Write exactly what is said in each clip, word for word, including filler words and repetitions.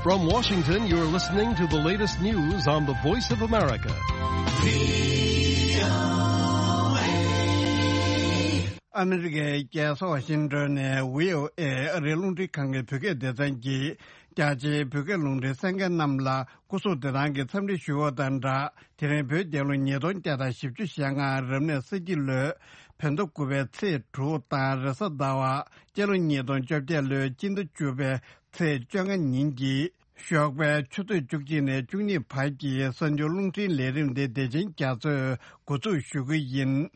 From Washington, you're listening to the latest news on the Voice of America. ཨ་མི་རི་ཀའི་རྒྱལ་ས་ཝ་ཤིང་ཏོན་ནས་བྷི་ཨོ་ཨེ་ཨ་རིའི་རླུང་འཕྲིན་ཁང་གི་བོད་སྐད་སྡེ་ཚན་གྱིས། རྒྱ་ཆེའི་བོད་སྐད་རླུང་འཕྲིན་གསན་མཁན་རྣམས་ལ་སྐུ་གཟུགས་བདེ་ཐང་གི་འཚམས་འདྲི་ཞུ་བ་དང་སྦྲགས། དེ་རིང་བོད་རྒྱལ་ལོ་ཉིས་སྟོང་བརྒྱ་དང་བཞི་བཅུ་ཞེ་ལྔ་རབ་གནས་ས་ཁྱི་ལོའི་བོད་ཟླ་དགུ་པའི་ཚེས་དྲུག་དང་། རེས་གཟའ་ཟླ་བ་སྤྱི་ལོ་ཉིས་སྟོང་བཅོ་བརྒྱད་ལོའི་སྤྱི་ཟླ་བཅུ་པའི་ཚེས་བཅོ་ལྔ་ཉིན་གྱི་ཞོགས་པའི་ཆུ་ཚོད་བཅུ་གཅིག་ནས་བཅུ་གཉིས་བར་གྱི་གསར་འགྱུར་རླུང་འཕྲིན་ལས་རིམ་དེ་བདེ་ཆེན་རྒྱ་མཚོས་འགོ་འཛུགས་ཞུ་གི་ཡིན།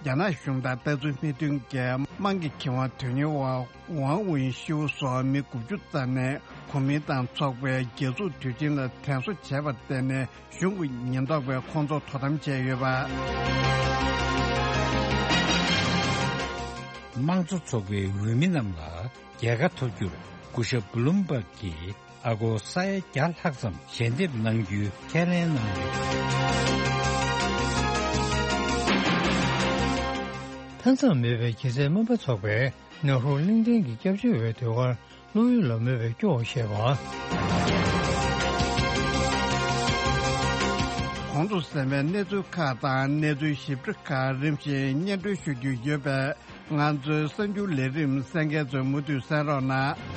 རྒྱ་ནག་གཞུང་དང་ལྟ་ཚུལ་མི་མཐུན་གྱི་དམངས་ཀྱི་ཁེ་དབང་དོན་གཉེར་བ་ཝང་ཝུན་ཤིའུ་སོགས་མི་དགུ་བཅུ་ཙམ་ནས་གོ་མིན་ཏང་ཚོགས་པའི་རྒྱལ་འཛུགས་དུས་ཆེན་ལ་དྲན་གསོ་བྱས་པར་བརྟེན་ནས། གཞུང་གི་ཉེན་རྟོག་པས་ཁོང་ཚོ་དོ་དམ་བྱས་ཡོད་པ། དམངས་གཙོ་ཚོགས་པའི་འོས་མི་རྣམས་ལ་རྒྱལ་ཁ་ཐོབ་རྒྱུར་སྐུ་ཞབས་བྷུ་ལུམ་བྷག་གིས་ཨ་སྒོར་ས་ཡ་བརྒྱ་ལྷག་ཙམ་ཞལ་འདེབས་གནང་རྒྱུའི་ཁས་ལེན་གནང་ཡོད། མཐའ་མཚམས་མེད་པའི་གྱེས་ཚལ་སྨན་པ་ཚོགས་པས་ནཱ་རུ་གླིང་ཕྲན་གྱི་སྐྱབས་བཅོལ་བའི་ཟློས་གར། བློ་ཡུལ་ལ་མོས་པའི་སྐྱོ་བ་བཤད་པ། གོང་དུ་གསན་པའི་གནས་ཚུལ་ཁག་དང་གནས་ཚུལ་ཞིབ་ཕྲ་ཁག་རིམ་བཞིན་སྙན་སྒྲོན་ཞུ་རྒྱུ་ཡོད་པས། ང་ཚོའི་གསར་འགྱུར་ལས་རིམ་གསན་མཁན་ཚོས་མུ་མཐུད་གསན་རོགས་གནང་།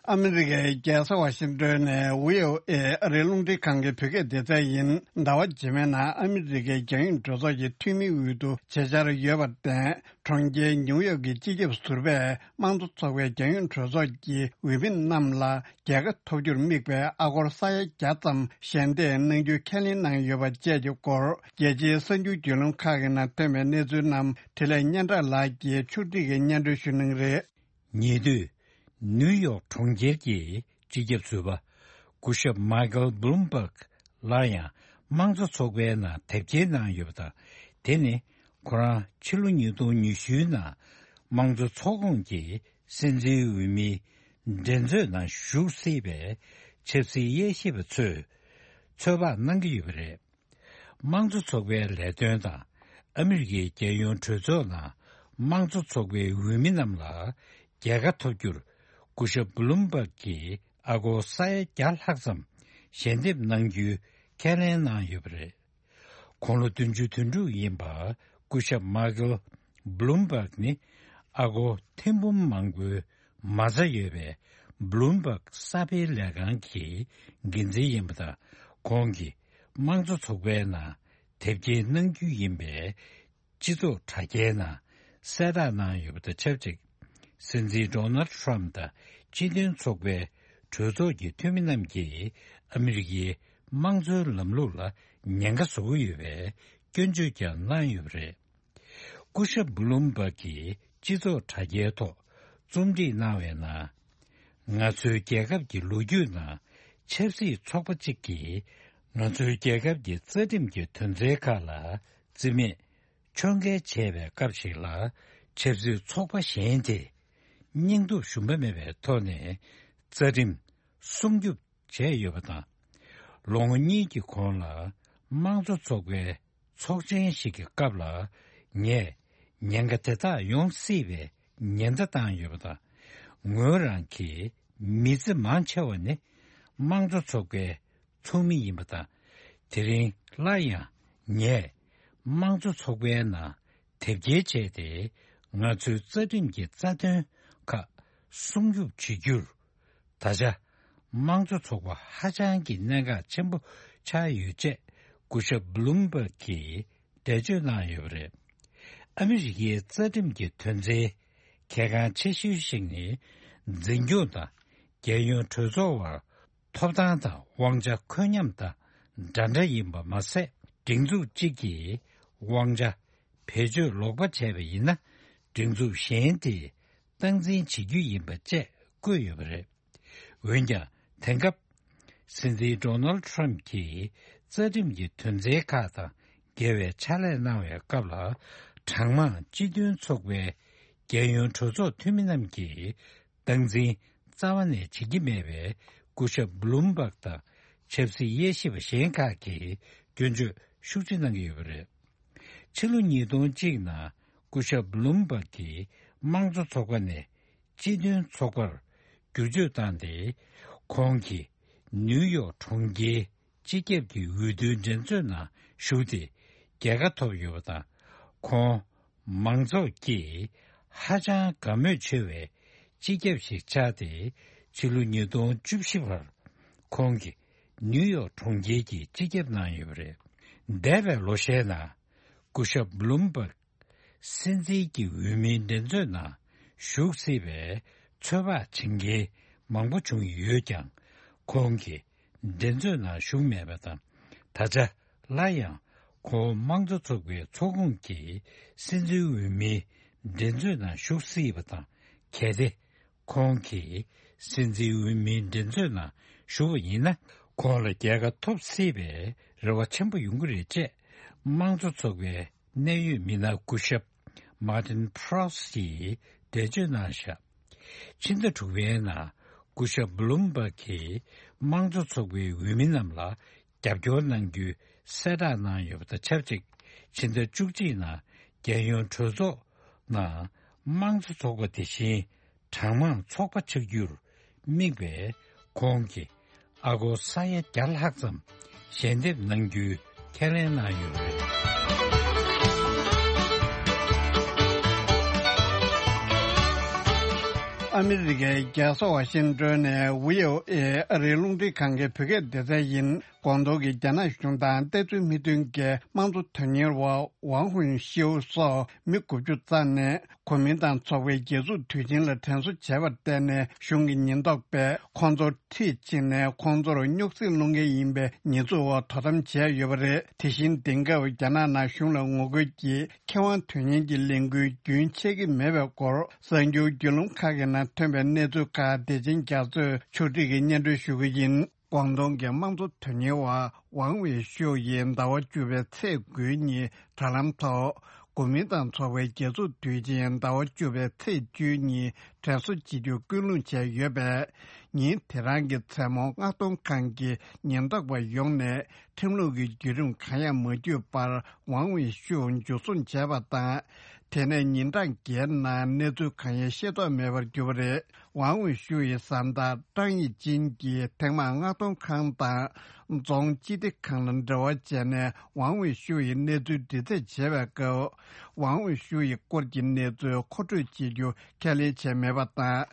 ཨ་མི་རི་ཀའི་རྒྱལ་ས་ཝ་ཤིང་ཏོན་ནས་བྷི་ཨོ་ཨེ་ཨ་རིའི་རླུང་འཕྲིན་ཁང་གི་བོད་སྐད་སྡེ་ཚན་ཡིན། ཟླ་བ་རྗེས་མའི་ནང་ཨ་མི་རི་ཀའི་རྒྱལ་ཡོངས་གྲོས་ཚོགས་ཀྱི་འཐུས་མིའི་འོས་བསྡུ་བྱེད་འཆར་ཡོད་པར་བརྟེན། གྲོང་ཁྱེར་ཉིའུ་ཡོག་གི་སྤྱི་ཁྱབ་ཟུར་པས་དམངས་གཙོ་ཚོགས་པའི་རྒྱལ་ཡོངས་གྲོས་ཚོགས་ཀྱི་འོས་མི་རྣམས་ལ་རྒྱལ་ཁ་ཐོབ་རྒྱུར་དམིགས་པའི་ཨ་སྒོར་ས་ཡ་བརྒྱ་ཙམ་ཞལ་འདེབས་གནང་རྒྱུའི་ཁས་ལེན་གནང་ཡོད་པ་བཅས་ཀྱི་སྐོར། རྒྱལ་སྤྱིའི་གསར་འགྱུར་བརྒྱུད་ལམ་ཁག་གི་ནང་ཐོན་པའི་གནས་ཚུལ་རྣམས་འཕྲིན་ལས་སྙན་གྲགས་ལགས་ཀྱིས་ཕྱོགས་སྒྲིག་གིས་སྙན་སྒྲོན་ཞུ་གནང་གི་རེད། ཉེ་དུས། ནིའུ་ཡོག་གྲོང་ཁྱེར་གྱི་སྤྱི་ཁྱབ་ཟུར་པ་སྐུ་ཞབས་མཱ་ཀལ་བྷུ་ལུམ་བྷག་སླར་ཡང་དམངས་གཙོ་ཚོགས་པའི་ནང་དེབ་སྐྱེལ་གནང་ཡོད་པ་དང་། དེ་ནི་ཁོ་རང་ཕྱི་ལོ་ཉིས་སྟོང་ཉི་ཤུའི་ནང་དམངས་གཙོ་ཚོགས་ཁོངས་ཀྱི་སྲིད་འཛིན་འོས་མིའི་འགྲན་རྩོད་ནང་ཞུགས་སྲིད་པའི་ཆབ་སྲིད་དབྱེ་ཞིབ་པ་ཚོས་ཚོད་དཔག་གནང་གི་ཡོད་པ་རེད། དམངས་གཙོ་ཚོགས་པའི་ལས་དོན་དང་ཨ་མི་རི་ཀའི་རྒྱལ་ཡོངས་གྲོས་ཚོགས་ནང་དམངས་གཙོ་ཚོགས་པའི་འོས་མི་རྣམས་ལ་རྒྱལ་ཁ་ཐོབ་རྒྱུར་སྐུ་ཞབས་བྷུ་ལུམ་བྷག་གིས་ཨ་སྒོར་ས་ཡ་བརྒྱ་ལྷག་ཙམ་ཞལ་འདེབས་གནང་རྒྱུའི་ཁས་ལེན་གནང་ཡོད་པ་རེད། དགུང་ལོ་བདུན་ཅུ་དོན་དྲུག་ཡིན་པ་སྐུ་ཞབས་མཱ་ཀལ་བྷུ་ལུམ་བྷག་ནི་ཨ་སྒོར་ཐེར་འབུམ་མང་པོའི་མ་རྩ་ཡོད་པའི་བྷུ་ལུམ་བྷག་གསར་སྤེལ་ལས་ཁང་གི་འགན་འཛིན་ཡིན་པ་དང་། ཁོང་གིས་དམངས་གཙོ་ཚོགས་པའི་ནང་དེབ་སྐྱེལ་གནང་རྒྱུ་ཡིན་པའི་སྤྱི་ཚོགས་དྲ་རྒྱའི་ནང་གསལ་བསྒྲགས་གནང་ཡོད་པ་དང་ཆབས་ཅིག་སྲིད་འཛིན་ཌོ་ནལ་ཌི་ཊརམ་ཕི་དང་སྤྱི་མཐུན་ཚོགས་པའི་གྲོས་ཚོགས་ཀྱི་འཐུས་མི་རྣམས་ཀྱིས་ཨ་མི་རི་ཀའི་དམངས་གཙོའི་ལམ་ལུགས་ལ་ཉེན་ཁ་བཟོ་གི་ཡོད་པའི་སྐྱོན་བརྗོད་ཀྱང་གནང་ཡོད་པ་རེད། སྐུ་ཞབས་བྷུ་ལུམ་བྷག་གིས་སྤྱི་ཚོགས་དྲ་རྒྱའི་ཐོག་རྩོམ་སྒྲིག་གནང་བའི་ནང་། ང་ཚོའི་རྒྱལ་ཁབ་ཀྱི་ལོ་རྒྱུས་ནང་ཆབ་སྲིད་ཚོགས་པ་གཅིག་གིས་ང་ཚོའི་རྒྱལ་ཁབ་ཀྱི་རྩ་ཁྲིམས་ཀྱི་དོན་ཚན་ཁག་ལ་བརྩི་མེད་ཕྱོགས་འགལ་བྱས་པའི་སྐབས་ཤིག་ལ། ཆབ་སྲིད་ཚོགས་པ་གཞན་དེས་སྙིང་སྟོབས་ཞུམ་པ་མེད་པའི་ཐོག་ནས་རྩ་ཁྲིམས་སྲུང་སྐྱོབ་བྱས་ཡོད་པ་དང་། ལོ་ངོ་གཉིས་ཀྱི་གོང་ལ་དམངས་གཙོ་ཚོགས་པའི་ཚོགས་ཆེན་ཞིག་གི་སྐབས་ལ། ངས་ཉེན་ཁ་དེ་དག་ཡོང་སྲིད་པའི་ཉེན་བརྡ་བཏང་ཡོད་པ་དང་། ངོས་རང་གི་མི་ཚེ་མང་ཆེ་བ་ནི་དམངས་གཙོ་ཚོགས་པའི་ཚོགས་མི་ཡིན་པ་དང་། དེ་རིང་སླར་ཡང་ངས་དམངས་གཙོ་ཚོགས་པའི་ནང་དེབ་སྐྱེལ་བྱས་ཏེ། ང་ཚོའི་རྩ་ཁྲིམས་ཀྱི་རྩ་དོན་ཁག་སྲུང་སྐྱོབ་བྱེད་རྒྱུར། ད་ཆ་དམངས་གཙོ་ཚོགས་པ་ཧ་ཅང་གི་གནད་འགག་ཆེན་པོ་ཆགས་ཡོད་ཅེས་སྐུ་ཞབས་བྷུ་ལུམ་བྷག་གིས་འགྲེལ་བརྗོད་གནང་ཡོད་པ་རེད། ཨ་མི་རི་ཀའི་རྩ་ཁྲིམས་ཀྱི་དོན་ཚན་གལ་འགངས་ཆེ་ཤོས་ཤིག་ནི། འཛིན་སྐྱོང་དང་རྒྱལ་ཡོངས་གྲོས་ཚོགས་དབར་ཐོབ་ཐང་དང་དབང་ཆ་འཁོད་མཉམ་དང་འདྲ་འདྲ་ཡིན་པ་མ་ཟད། སྒྲིག་འཛུགས་གཅིག་གིས་དབང་ཆ་བེད་སྤྱོད་ལོག་པ་བྱས་པ་ཡིན་ན། སྒྲིག་འཛུགས་གཞན་དེས་སྟངས་འཛིན་བྱེད་རྒྱུ་ཡིན་པ་བཅས་བཀོད་ཡོད་པ་རེད། འོན་ཀྱང་། དེང་སྐབས་སྲིད་འཛིན་ཌོ་ནལ་ཌི་ཊརམ་ཕི་གྱིས་རྩ་ཁྲིམས་ཀྱི་དོན་ཚན་ཁག་དང་འགལ་བའི་ཕྱག་ལས་གནང་བའི་སྐབས་ལ། གྲངས་མང་སྤྱི་མཐུན་ཚོགས་པའི་རྒྱལ་ཡོངས་གྲོས་ཚོགས་འཐུས་མི་རྣམས་ཀྱིས་སྟངས་འཛིན་རྩ་བ་ནས་བྱེད་ཀྱི་མེད་པའི་སྐུ་ཞབས་བྷུ་ལུམ་བྷག་དང་ཆབ་སྲིད་དབྱེ་ཞིབ་པ་གཞན་ཁག་གིས་སྐྱོན་བརྗོད་ཤུགས་ཆེ་གནང་གི་ཡོད་པ་རེད། ཕྱི་ལོ་ཉིས་སྟོང་གཅིག་ནང་སྐུ་ཞབས་བྷ་ལུམ་བྷག་གིས་དམངས་གཙོ་ཚོགས་པ་ནས་སྤྱི་མཐུན་ཚོགས་པར་བསྒྱུར་བཅོས་བཏང་སྟེ། ཁོང་གིས་ནིའུ་ཡོག་གྲོང་ཁྱེར་སྤྱི་ཁྱབ་ཀྱི་འོས་བསྡུའི་འགྲན་རྩོད་ནང་ཞུགས་ཏེ་རྒྱལ་ཁ་ཐོབ་ཡོད་པ་དང་། ཁོང་མང་ཚོགས་ཀྱིས་ཧ་ཅང་དགའ་མོས་ཆེ་བའི་སྤྱི་ཁྱབ་ཞིག་ཆགས་ཏེ། ཕྱི་ལོ་ཉིས་སྟོང་བཅུ་བཞི་བར་ཁོང་གིས་ནིའུ་ཡོག་གྲོང་ཁྱེར་གྱི་སྤྱི་ཁྱབ་གནང་ཡོད་པ་རེད། འདས་པའི་ལོ་ཤས་ནང་སྐུ་ཞབས་བྷ་ལུམ་བྷག་སྲིད་འཛིན་གྱི་འོས་མིའི་འགྲན་རྩོད་ནང་ཞུགས་སྲིད་པའི་ཚོད་དཔག་བྱེད་མཁན་མང་པོ་བྱུང་ཡོད་ཀྱང་། ཁོང་གིས་འགྲན་རྩོད་ནང་ཞུགས་མེད་པ་དང་། ད་ཆ་སླར་ཡང་ཁོང་དམངས་གཙོ་ཚོགས་པའི་ཚོགས་ཁོངས་ཀྱི་སྲིད་འཛིན་འོས་མིའི་འགྲན་རྩོད་ནང་ཞུགས་སྲིད་པ་དང་། གལ་ཏེ་ཁོང་གིས་སྲིད་འཛིན་འོས་མིའི་འགྲན་རྩོད་ནང་ཞུགས་པ་ཡིན་ན། ཁོང་ལ་རྒྱལ་ཁ་ཐོབ་སྲིད་པའི་རེ་བ་ཆེན་པོ་ཡོང་གི་རེད་ཅེས་དམངས་གཙོ་ཚོགས་པའི་གནད་ཡོད་མི་སྣ་སྐུ་ཞབས་མཱ་ཏིན་ཕྲོ་སི་ཡིས་འགྲེལ་བརྗོད་གནང་བཞག་ཕྱི་ཟླ་དྲུག་པའི་ནང་སྐུ་ཞབས་བྷ་ལུམ་བྷག་གིས་དམངས་གཙོ་ཚོགས་པའི་འོས་མི་རྣམས་ལ་རྒྱབ་སྐྱོར་གནང་རྒྱུའི་གསལ་བསྒྲགས་གནང་ཡོད་པ་དང་ཆབས་ཅིག་ཕྱི་ཟླ་བཅུ་གཅིག་ནང་རྒྱལ་ཡོངས་གྲོས་ཚོགས་ནང་དམངས་གཙོ་ཚོགས་པ་དེ་བཞིན་གྲངས་མང་ཚོགས་པ་ཆགས་རྒྱུར་དམིགས་པའི་ཁོང་གི་ཨ་སྒོར་ས་ཡ་བརྒྱ་ལྷག་ཙམ་ཞལ་འདེབས་གནང་རྒྱུའི་ཁས་ལེན་གནང་ཡོད་པ་རེད། ཨ་མི་རི་ཀའི་རྒྱལ་ས་ཝ་ཤིང་ཏོན་ནས་བྷི་ཨོ་ཨེ་ཨ་རིའི་རླུང་འཕྲིན་ཁང་གི་བོད་སྐད་སྡེ་ཚན་ཡིན། ཀོང་ཏུང་གི་རྒྱ་ནག་གཞུང་དང་ལྟ་ཚུལ་མི་མཐུན་གྱི་དམངས་གཙོ་དོན་གཉེར་བ་ཝང་ཧུན་ཤིའུ་སོགས་མི་དགུ་བཅུ་རྩ་ནས་གོ་མིན་ཏང་ཚོགས་པའི་རྒྱལ་འཛུགས་དུས་ཆེན་ལ་དྲན་གསོ་བྱས་པར་བརྟེན་ནས། གཞུང་གི་ཉེན་རྟོག་པས་ཁོང་ཚོར་འཁྲིད་ཕྱིན་ནས། ཁོང་ཚོར་རྙོག་ཟིང་སློང་མཁན་ཡིན་པའི་ཉེས་འཛུགས་འོག་དོ་དམ་བྱས་ཡོད་པ་རེད། དེ་བཞིན་དེང་སྐབས་རྒྱ་ནག་ནང་གཞུང་ལ་ངོ་རྒོལ་གྱིས་ཁེ་དབང་དོན་གཉེར་གྱི་ལས་འགུལ་རྒྱུན་ཆད་ཀྱི་མེད་པའི་སྐོར། གསར་འགྱུར་བརྒྱུད་ལམ་ཁག་གི་ནང་ཐོན་པའི་གནས་ཚུལ་ཁག་བདེ་ཆེན་རྒྱ་མཚོས་ཕྱོགས་སྒྲིག་གིས་སྙན་སྒྲོན་ཞུ་གི་ཡིན། ཀོང་ཏུང་གི་དམངས་གཙོ་དོན་གཉེར་བ་ཝང་ཝེ་ཤུའུ་ཡིས་ཟླ་བ་བཅུ་པའི་ཚེས་དགུ་ཉིན་དྲ་ལམ་ཐོག་གོ་མིན་ཏང་ཚོགས་པའི་རྒྱལ་འཛུགས་དུས་ཆེན་ཟླ་བ་བཅུ་པའི་ཚེས་བཅུ་ཉིན་དྲན་གསོ་བྱེད་རྒྱུར་སྐུལ་སློང་བྱས་ཡོད་པས། ཉིན་དེ་རང་གི་མཚན་མོ་མངགས་གཏོང་ཁང་གི་ཉེན་རྟོག་པ་ཡོང་ནས་ཁྲིམས་ལུགས་ཀྱི་བརྒྱུད་རིམ་གང་ཡང་མ་བརྒྱུད་པར་ཝང་ཝེ་ཤུའུ་འཇུ་བཟུང་བྱས་པ་དང་། དེ་ནས་ཉིན་གྲངས་བརྒྱད་ནང་གནས་ཚུལ་གང་ཡང་ཤེས་རྟོགས་མེད་པར་གྱུར་པ་རེད། ཝང་ཝེ་ཤུའུ་ཡི་བཟའ་ཟླ་ཀྲང་ཡི་ཅིན་གྱིས་ཐེངས་མང་མངགས་གཏོང་ཁང་དང་རྫོང་སྤྱི་བདེ་ཁང་ལ་འབྲེལ་བ་བྱས་ནས། ཝང་ཝེ་ཤུའུ་ཡི་གནས་ཚུལ་འདྲི་རྩད་བྱས་པའི་སྐབས། ཝང་ཝེ་ཤུའུ་ཡི་སྐོར་གྱི་གནས་ཚུལ་མཁོ་སྤྲོད་བྱེད་རྒྱུ་ཁས་ལེན་བྱས་མེད་པ་དང་།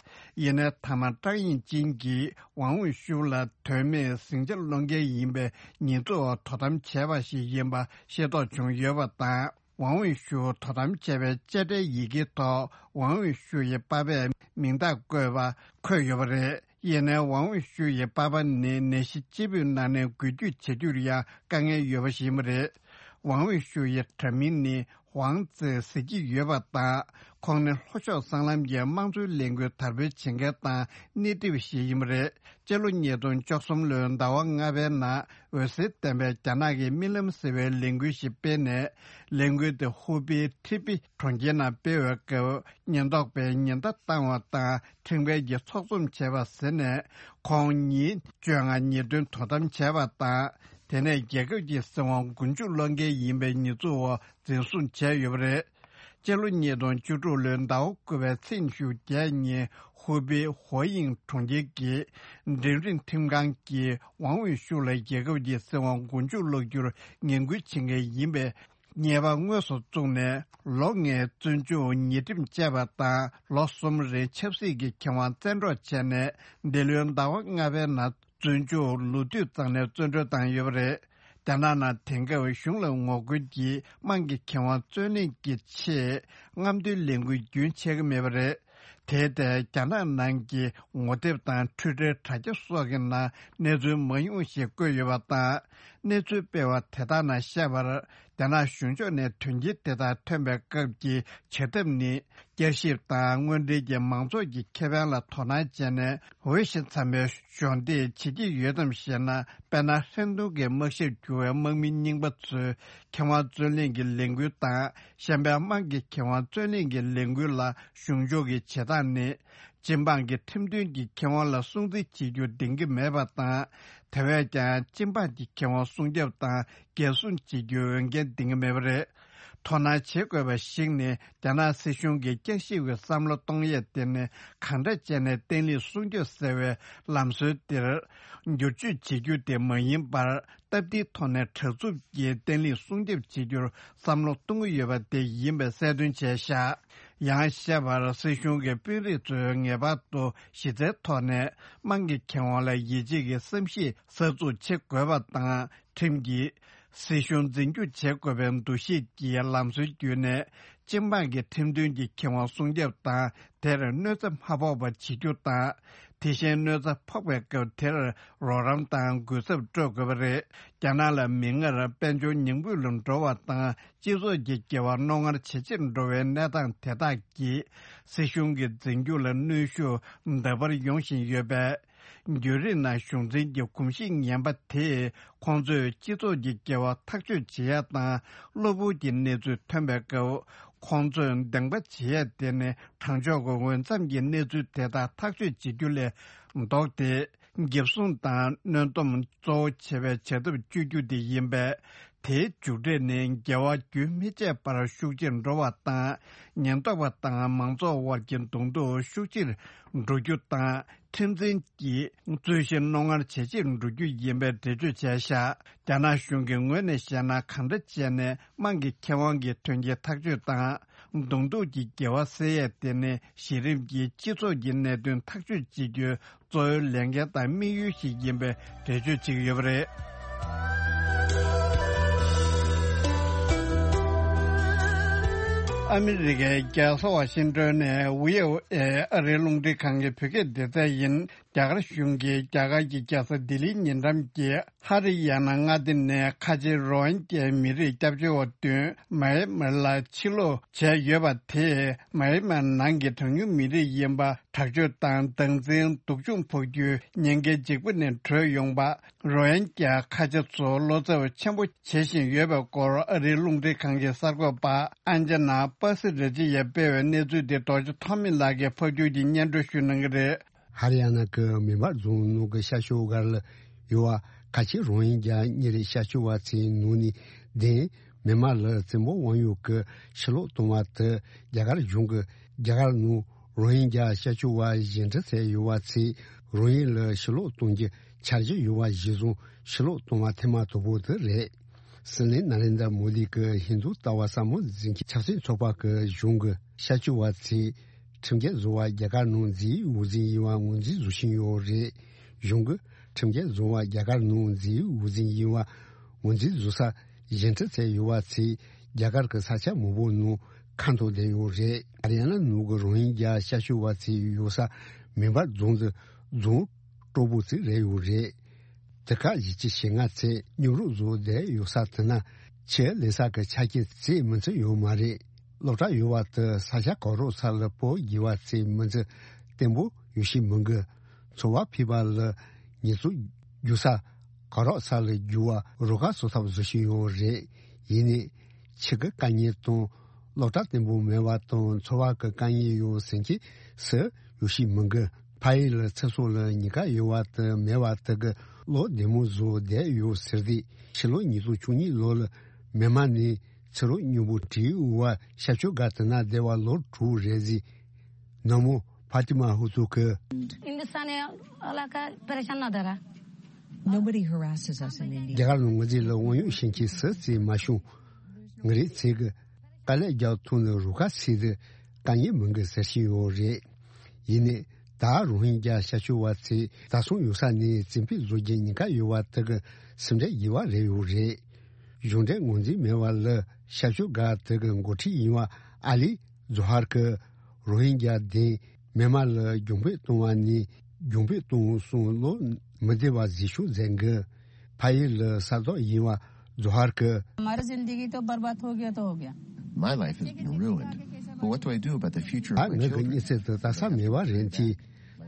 ཡིན་ནའི་མཐའ་མ་ཀྲང་ཡི་ཅིན་གྱིས་ཝང་ཝེ་ཤུའུ་ལ་དོན་མེད་ཟིང་ཆ་སློང་མཁན་ཡིན་པའི་ཉེས་འཛུགས་འོག་དོ་དམ་བྱས་པ་ཞིག་ཡིན་པ་ཤེས་རྟོགས་བྱུང་ཡོད་པ་དང་། ཝང་ཝེ་ཤུའུ་དོ་དམ་བྱས་པའི་དཔྱ་ཁྲལ་ཡི་གེ་ཐོག་ཝང་ཝེ་ཤུའུ་ཡི་པ་ཕས་མིང་རྟགས་བཀོད་པ་འཁོད་ཡོད་པ་རེད། ཡིན་ནའི་ཝང་ཝེ་ཤུའུ་ཡི་པ་ཕ་ནི་ནད་གཞི་ལྕི་པོའི་ནང་ནས་འགུལ་སྐྱོད་བྱེད་རྒྱུར་ཡང་དཀའ་ངལ་ཡོད་པ་ཞིག་ཡིན་པ་རེད། ཝང་ཝེ་ཤུའུ་ཡི་དྲ་མིང་ནི་ཝང་ཙེ་ཟེར་གྱི་ཡོད་པ་དང་། ཁོང་ནི་ལྷོ་ཕྱོགས་སྲང་ལམ་གྱི་དམངས་གཙོའི་ལས་འགུལ་དར་སྤེལ་བྱེད་མཁན་དང་སྣེ་ཁྲིད་པ་ཞིག་ཡིན་པ་རེད། སྤྱི་ལོ་ཉིས་སྟོང་བཅུ་གསུམ་ལོའི་ཟླ་བ་ལྔ་པའི་ནང་འོད་ཟེར་ལྡན་པས་རྒྱ་ནག་གི་རྨི་ལམ་ཟེར་བའི་ལས་འགུལ་ཞིག་སྤེལ་ནས། ལས་འགུལ་དེ་ཧུ་པེའི་ཁྲི་པི་གྲོང་ཁྱེར་ནང་སྤེལ་བའི་སྐབས། ཉེན་རྟོག་པས་ཉེན་བརྡ་བཏང་བ་དང་ཁྲིམས་འགལ་གྱི་ཚོགས་འཛོམས་བྱས་པ་ཟེར་ནས། ཁོང་ཉིན་བཅོ་ལྔ་ཉིན་བདུན་དོ་དམ་བྱས་པ་དང་། དེ་ནས་རྒྱལ་ཁབ་ཀྱི་སྲིད་དབང་མགོ་མཇུག་སློག་མཁན་ཡིན་པའི་ཉེས་འཛུགས་འོག་འཛིན་བཟུང་བྱས་ཡོད་པ་རེད། སྤྱི་ལོ་ཉིས་སྟོང་བཅུ་དྲུག་ལོའི་ཟླ་བ་དགུ་པའི་ཚེས་ཉི་ཤུ་བརྒྱད་ཉིན་ཧུའུ་པེའི་ཧོ་ཡིང་གྲོང་ཁྱེར་གྱི་འབྲིང་རིམ་ཁྲིམས་ཁང་གིས་ཝང་ཝེ་ཤུའུ་ལ་རྒྱལ་ཁབ་ཀྱི་སྲིད་དབང་མགོ་མཇུག་སློག་རྒྱུར་ངན་སྐུལ་བྱེད་མཁན་ཡིན་པའི་ཉེས་པ་དངོས་སུ་བཙུགས་ནས། ལོ་ལྔའི་བཙོན་འཇུག་ཉེས་ཁྲིམས་བཅད་པ་དང་། ལོ་གསུམ་རིང་ཆབ་སྲིད་ཀྱི་ཁེ་དབང་བཙན་འཕྲོག་བྱས་ནས། འདི་ལོའི་ཟླ་བ་ལྔ་པའི་ནང་བཙོན་འཇུག་ལོ་དུས་ཙམ་ནས་བཙོན་གྲོལ་བཏང་ཡོད་པ་རེད། རྒྱ་ནག་ནང་དེང་སྐབས་གཞུང་ལ་ངོ་རྒོལ་གྱིས་དམངས་ཀྱི་ཁེ་དབང་རྩོད་ལེན་གྱི་ཆེད་རྔམ་སྟོན་ལས་འགུལ་རྒྱུན་ཆད་ཀྱི་མེད་པ་རེད། དེའི་ཐད་རྒྱ་ནག་ནང་གི་ངོ་དེབ་དང་འཕྲུལ་ཁྲལ་དྲ་རྒྱ་སོགས་ཀྱི་ནང་གནས་ཚུལ་མང་ཉུང་ཞིག་བཀོད་ཡོད་པ་དང་། གནས་ཚུལ་སྤེལ་བ་དེ་དག་ནང་བཤད་པར། རྒྱ་ནག་གཞུང་ཕྱོགས་ནས་དོན་རྐྱེན་དེ་དག་ཐོན་པའི་སྐབས་ཀྱི་བྱེད་ཐབས་ནི། བསྐྱར་ཞིབ་དང་དངོས་འབྲེལ་གྱིས་མང་ཚོགས་ཀྱི་ཁེ་ཕན་ལ་དོ་སྣང་བྱས་ནས། འོས་ཤིང་འཚམ་པའི་གཞོགས་འདེགས་བྱེད་ཀྱི་ཡོད་དམ་ཞེ་ན། དཔེར་ན། ཧྲེན་ཏུང་གི་དམག་ཞབས་གྱུར་བའི་དམག་མི་རྙིང་པ་ཚོའི་ཁེ་དབང་རྩོད་ལེན་གྱི་ལས་འགུལ་དང་། གཞན་པའི་དམངས་ཀྱི་ཁེ་དབང་རྩོད་ལེན་གྱི་ལས་འགུལ་ལ་གཞུང་ཕྱོགས་ཀྱི་བྱེད་སྟངས་ནི། སྤྱི་འབངས་ཀྱི་ཁྲིམས་མཐུན་གྱི་ཁེ་དབང་ལ་སྲུང་བརྩི་བྱེད་རྒྱུ་འདིང་གི་མེད་པ་དང་། དེ་བས་ཀྱང་སྤྱི་འབངས་ཀྱི་ཁེ་དབང་སྲུང་སྐྱོབ་དང་འགན་སྲུང་བྱེད་རྒྱུའི་འོས་འགན་འདིང་གི་མེད་པ་རེད། དོ་སྣང་བྱེད་དགོས་པ་ཞིག་ནི། རྒྱ་ནག་སྲིད་གཞུང་གིས་བསྐྱར་ཞིབ་ཀྱི་བསམ་བློ་གཏོང་ཡས་དེ་ནི། གང་འདྲ་བྱས་ནས་བརྟན་ལྷིང་སྲུང་སྐྱོབ་ཟེར་བའི་ལམ་སྲོལ་འདིར་བསྒྱུར་བཅོས་བྱེད་རྒྱུ་དེ་མ་ཡིན་པར། སྟབས་བདེའི་ཐོག་ནས་དྲག་རྩུབ་ཀྱིས་བརྟན་ལྷིང་སྲུང་སྐྱོབ་བྱེད་རྒྱུར་བསམ་བློ་གཏོང་གི་ཡོད་པ་དེ་ཡིན་པའི་གསལ་སྟོན་བྱས་བཞག་ཡང་བཤད་པར། སྲིད་གཞུང་གི་དཔོན་རིགས་ཚོས་ངེས་པར་དུ་གཞི་རྩའི་ཐོག་ནས་དམངས་ཀྱི་ཁེ་དབང་ལ་ཡིད་ཆེས་ཀྱི་བསམ་གཞིག་གསར་འཛུགས་བྱེད་དགོས་པ་དང་། ཁྲིམས་ཀྱིས་སྲིད་གཞུང་འཛིན་སྐྱོང་བྱེད་དགོས་པའི་འདུ་ཤེས་ཀྱི་ལམ་སྲོལ་བརྒྱུད་ནས། སྤྱི་འབངས་ཀྱི་ཁྲིམས་མཐུན་གྱི་ཁེ་དབང་སྲུང་སྐྱོབ་དང་། དེར་གནོད་འཚེ་མ་ཕོག་པ་བྱེད་རྒྱུ་དང་། དེ་བཞིན་གནོད་འཚེ་ཕོག་པའི་སྐབས་དེར་རོགས་རམ་དང་གུས་ཚབ་སྤྲོད་དགོས་པ་རེད། རྒྱ་ནག་ལ་མིག་སྔར་དཔལ་འབྱོར་ཉམས་རྒུད་ལ་འགྲོ་བ་དང་། སྤྱི་ཚོགས་ཀྱི་འགྱུར་བ་རྣོ་ངར་ཇེ་ཆེར་འགྲོ་བའི་གནས་སྟངས་དེ་དག་གིས། སྲིད་གཞུང་གི་འཛིན་སྐྱོང་ལ་གནོན་ཤུགས་འདར་བར་ཡོང་བཞིན་ཡོད་པས། འགྱུར་རིམ་ནང་གཞུང་འཛིན་གྱི་གོམས་གཤིས་ངན་པ་དེས། ཁོང་ཚོས་སྤྱི་ཚོགས་ཀྱི་འགྱུར་བ་ཐག་གཅོད་བྱེད་ཡ་དང་། གློ་བུར་གྱི་གནས་ཚུལ་ཐོན་པའི་སྐབས། ཁོང་ཚོས་འདེང་པ་བྱེད་ཡ་དེ་ནི། དྲང་ཕྱོགས་ཀྱི་འོས་འཚམ་གྱི་གནས་ཚུལ་དེ་དག་ཐག་གཅོད་བྱེད་རྒྱུ་ལས་ལྡོག་སྟེ། འགེབས་སྲུང་དང་གནོན་སྡོམ་གཙོ་བོ་བྱེད་པའི་བྱ་ཐབས་སྤྱོད་རྒྱུ་དེ་ཡིན་པས། དེའི་མཇུག་འབྲས་ནི། འགལ་བ་རྒྱུན་མི་ཆད་པར་ཤུགས་ཆེར་འགྲོ་བ་དང་། ཉེན་རྟོག་པ་དང་མང་ཚོགས་དབར་གྱི་གདོང་ཐུག་ཤུགས་ཆེར་འགྲོ་རྒྱུ་དང་། ཁྲིམས་འཛིན་གྱི་རྩོད་གཞི་རྣོ་ངར་ཇེ་ཆེར་འགྲོ་རྒྱུ་ཡིན་པའི་འགྲེལ་བརྗོད་བྱས་བཞག་རྒྱ་ནག་གཞུང་གི་ངོས་ནས་བཤད་ན། གང་འདྲ་བྱས་ནས་དམངས་ཀྱི་ཁེ་དབང་གི་དོན་རྐྱེན་ཐག་གཅོད་དང་། གདོང་ཐུག་གི་འགལ་བ་སེལ་ཡས་དེ་ནི། གཞི་རིམ་གྱི་སྤྱི་ཚོགས་ཀྱི་གནད་དོན་ཐག་གཅོད་བྱེད་རྒྱུའི་གཙོ་བོའི་ལས་འགན་དང་དམིགས་ཡུལ་ཞིག་ཡིན་པའི་འགྲེལ་བརྗོད་བྱེད་ཀྱི་ཡོད་པ་རེད། ཨ་མི་རི་ཀའི་རྒྱལ་ས་ཝ་ཤིང་ཏོན་ནས་བྷི་ཨོ་ཨེ་ཨ་རིའི་རླུང་འཕྲིན་ཁང་གི་བོད་སྐད་སྡེ་ཚན་ཡིན། རྒྱ་གར་གཞུང་གིས་རྒྱ་གར་གྱི་རྒྱལ་ས་ལྡི་ལིའི་ཉེ་འགྲམ་གྱི་ཧ་རི་ཡ་ན་མངའ་སྡེ་ནས་ཁ་ཆེ་རོ་ཧིན་གྱའི་མི་རིགས་སྐྱབས་བཅོལ་བ་བདུན་མཱ་ཡན་མར་ལ་ཕྱིར་ལོག་བྱས་ཡོད་པ་དེས། མཱ་ཡན་མར་ནང་གི་གྲངས་ཉུང་མི་རིགས་ཡིན་པ་དྲག་སྤྱོད་དང་། སྡང་འཛིན། སྡུག་སྦྱོང་ཕོག་རྒྱུའི་ཉེན་ཁའི་འཇིགས་པ་ནས་གྲོལ་ཡོང་པ། རོ་ཧིན་གྱ་ཁ་ཆེ་ཚོ་བློ་འཚབ་ཆེན་པོ་བྱེད་བཞིན་ཡོད་པའི་སྐོར། ཨ་རིའི་རླུང་འཕྲིན་ཁང་གི་གསར་འགོད་པ་ཨན་ཇ་ན་པ་སི་ར་ཇི་ཡས་སྤེལ་བའི་གནས་ཚུལ་དེ། རྡོ་རྗེ་ཐོགས་མེད་ལགས་ཀྱིས་ཕབ་སྒྱུར་གྱིས་སྙན་སྒྲོན་ཞུ་གནང་གི་རེད། ཧ་རི་ཡ་ན་གི་མེ་འབར་རྫོང་ནང་གི་ཤར་ཕྱོགས་སྒར་ལ་ཡོད་པ་ཁ་ཆེ་རོ་ཧིན་གྱ་གཉེར་ཤར་ཕྱོགས་པ་ཚོའི་ནང་ནས་བདེན། མེན་མར་ལ་བཙན་པོ་དབང་ཡོད་ཀྱི་ཕྱིར་ལོག་གཏོང་བ་དེ། རྒྱ་གར་གཞུང་གིས་རྒྱ་གར་ནང་རོ་ཧིན་གྱ་ཤར་ཕྱོགས་པ་གཞན་ཁྲི་ཚད་ཡོད་པ་ཚོས་རོ་ཧིན་ལ་ཕྱིར་ལོག་གཏོང་རྒྱུ་འཆར་གཞི་ཡོད་པ་གཞིར་བཟུང་ཕྱིར་ལོག་གཏོང་བ་ཐེངས་མ་དང་པོ་དེ་རེད། སྲིད་བློན་ནཱ་ལེནྡྲ་མོ་དི་གིས་ཧིན་རྡུ་ལྟ་བ་ཟབ་མོ་འཛིན་གྱི་ཆབ་སྲིད་ཚོགས་པ་གི་གཞུང་གིས་ཤར་ཕྱོགས་པ་ཚོས་ཁྲིམས་འགལ་བཟོ་བ་རྒྱ་གར་ནང་འཛིན་འོས་འཛིན་ཡིན་པ་ངོས་འཛིན་བཟོ་བཞིན་ཡོད་རེད། གཞུང་གིས་ཁྲིམས་འགལ་བཟོ་བ་རྒྱ་གར་ནང་འཛིན་འོས་འཛིན་ཡིན་པ་ངོས་འཛིན་བཟོ་ས་གཞན་ཁྲི་ཚད་ཡོད་པ་ཚོས་རྒྱ་གར་གྱི་ས་ཆ་མང་པོ་ནང་ཁ་འཐོར་བསྡད་ཡོད་རེད། ཧ་རི་ཡ་ན་ནང་གི་རོ་ཧིན་གྱ་ཤར་ཕྱོགས་པ་ཚོའི་ཡོད་ས་མེ་འབར་རྫོང་དུ་རྫོང་སྤྲོ་པོ་ཚོ་རེད་ཡོད་རེད། དེ་ག་བཞི་བཅུ་ཞེ་ལྔ་ཚོས་སྙོམས་རུབ་བཟོ་བསྡད་ཡོད་ས་དེ་ན་ཆུ་ལེན་ས་གི་ཆ་རྐྱེན་ཚོ་མི་འཚམ་ཡོད་མ་རེད། སློབ་གྲྭ་ཡོད་པ་དེ་ས་ཆ་གོ་རོག་ས་ལ་སྤོ་དགོས་པ་ཚོ་མི་འཚམ། བརྟན་པོ་ཡོད་ཤེས་མི་འགི། འཚོ་བ་ཕལ་པ་ལ་ཉེས་གསོག་རྒྱུག་ས་གོ་རོག་ས་ལ་རྒྱུག་པ་རུ་ཁག་བཟོ་ཐབས་བཟོ་བཞིན་ཡོད་རེད། ཡིན་ནའི་ཆུ་གི་དཀའ་ངལ་དང་། སློབ་གྲྭ་བརྟན་པོ་མེད་པ་དང་། འཚོ་བ་གི་དཀའ་ངལ་ཡོད་ཟེར་མཁན་སུ་ཡོད་ཤེས་མི་འགི། ཕ་ཡུལ་ལ་ཚེ་སྲོག་ལ་ཉེན་ཁ་ཡོད་པ་དེ་མེད་པ་དེ་གི་བློ་བདེ་མོ་བཟོ་བསྡད་ཡོད་ཟེར་ཏེ། ཕྱི་ལོ་ཉིས་སྟོང་བཅུ་གཉིས་ལོ་ལ་མེན་མ་ནས་ཕྱི་རོལ་མཉམ་པོ་བྲིས་འོ་བ་ཤར་ཕྱོགས་སྒར་དེ་ན་བསྡད་པ་ལོ་དྲུག་རེད་ཟེར། ནང་མོ་ཕ་ཏི་མ་ཧུ་ཚུ་གི། Hindustan e alaka pareshan na dara. Nobody harasses us in India. རྒྱ་གར་ནང་ང་ཚོ་ལ་དབང་ཡོད་ཤེས་མཁན་སུ་ཚོ་མ་བྱུང་། ང་རང་ཚོ་གི་དཀའ་ལས་རྒྱག་ཐུབ་ནས་རུ་ཁག་ཚོ་དེ་དཀའ་ངལ་མང་གི་ཟེར་བཞིན་ཡོད་རེད། ཡིན་ནའི་ད་རོ་ཧིན་རྒྱ་ཤར་ཕྱོགས་པ་ཚོས་ད་སོང་ཡོད་ས་ནས་བཙན་ཕེབས་བཟོ་རྒྱུ་ཉེན་ཁ་ཡོད་པ་དེ་གི་སེམས་ཁྲལ་དགོས་པ་རེད་ཡོད་རེད། གཞུང་འབྲེལ་ངོས་འཛིན་མེད་པ་ལ་ཤར་ཕྱོགས་སྒར་དེ་གི་འགོ་ཁྲིད་ཡིན་པ་ཨ་ལི་ཛོ་ཧར་གྱིས་རོ་ཧིན་རྒྱ་དེ་མེན་མ་ལ་རྒྱུན་སྤོས་གཏོང་བ་ནས་རྒྱུན་སྤོས་གཏོང་སོང་བློ་མི་བདེ་བ་བཟོས་བྱུང་ཟེར་གི། ཕ་ཡུལ་ལ་ས་ཐོག་ཡིན་པ་ཛོ་ཧར་གྱིས། हमारी जिंदगी तो बर्बाद हो गया तो हो गया। My life has been ruined. But what do I do about the future of ད་my ངའི་གི་children? མྱི་ཚེ་དེ་ད་ས་མེད་པ་རེད་དེ།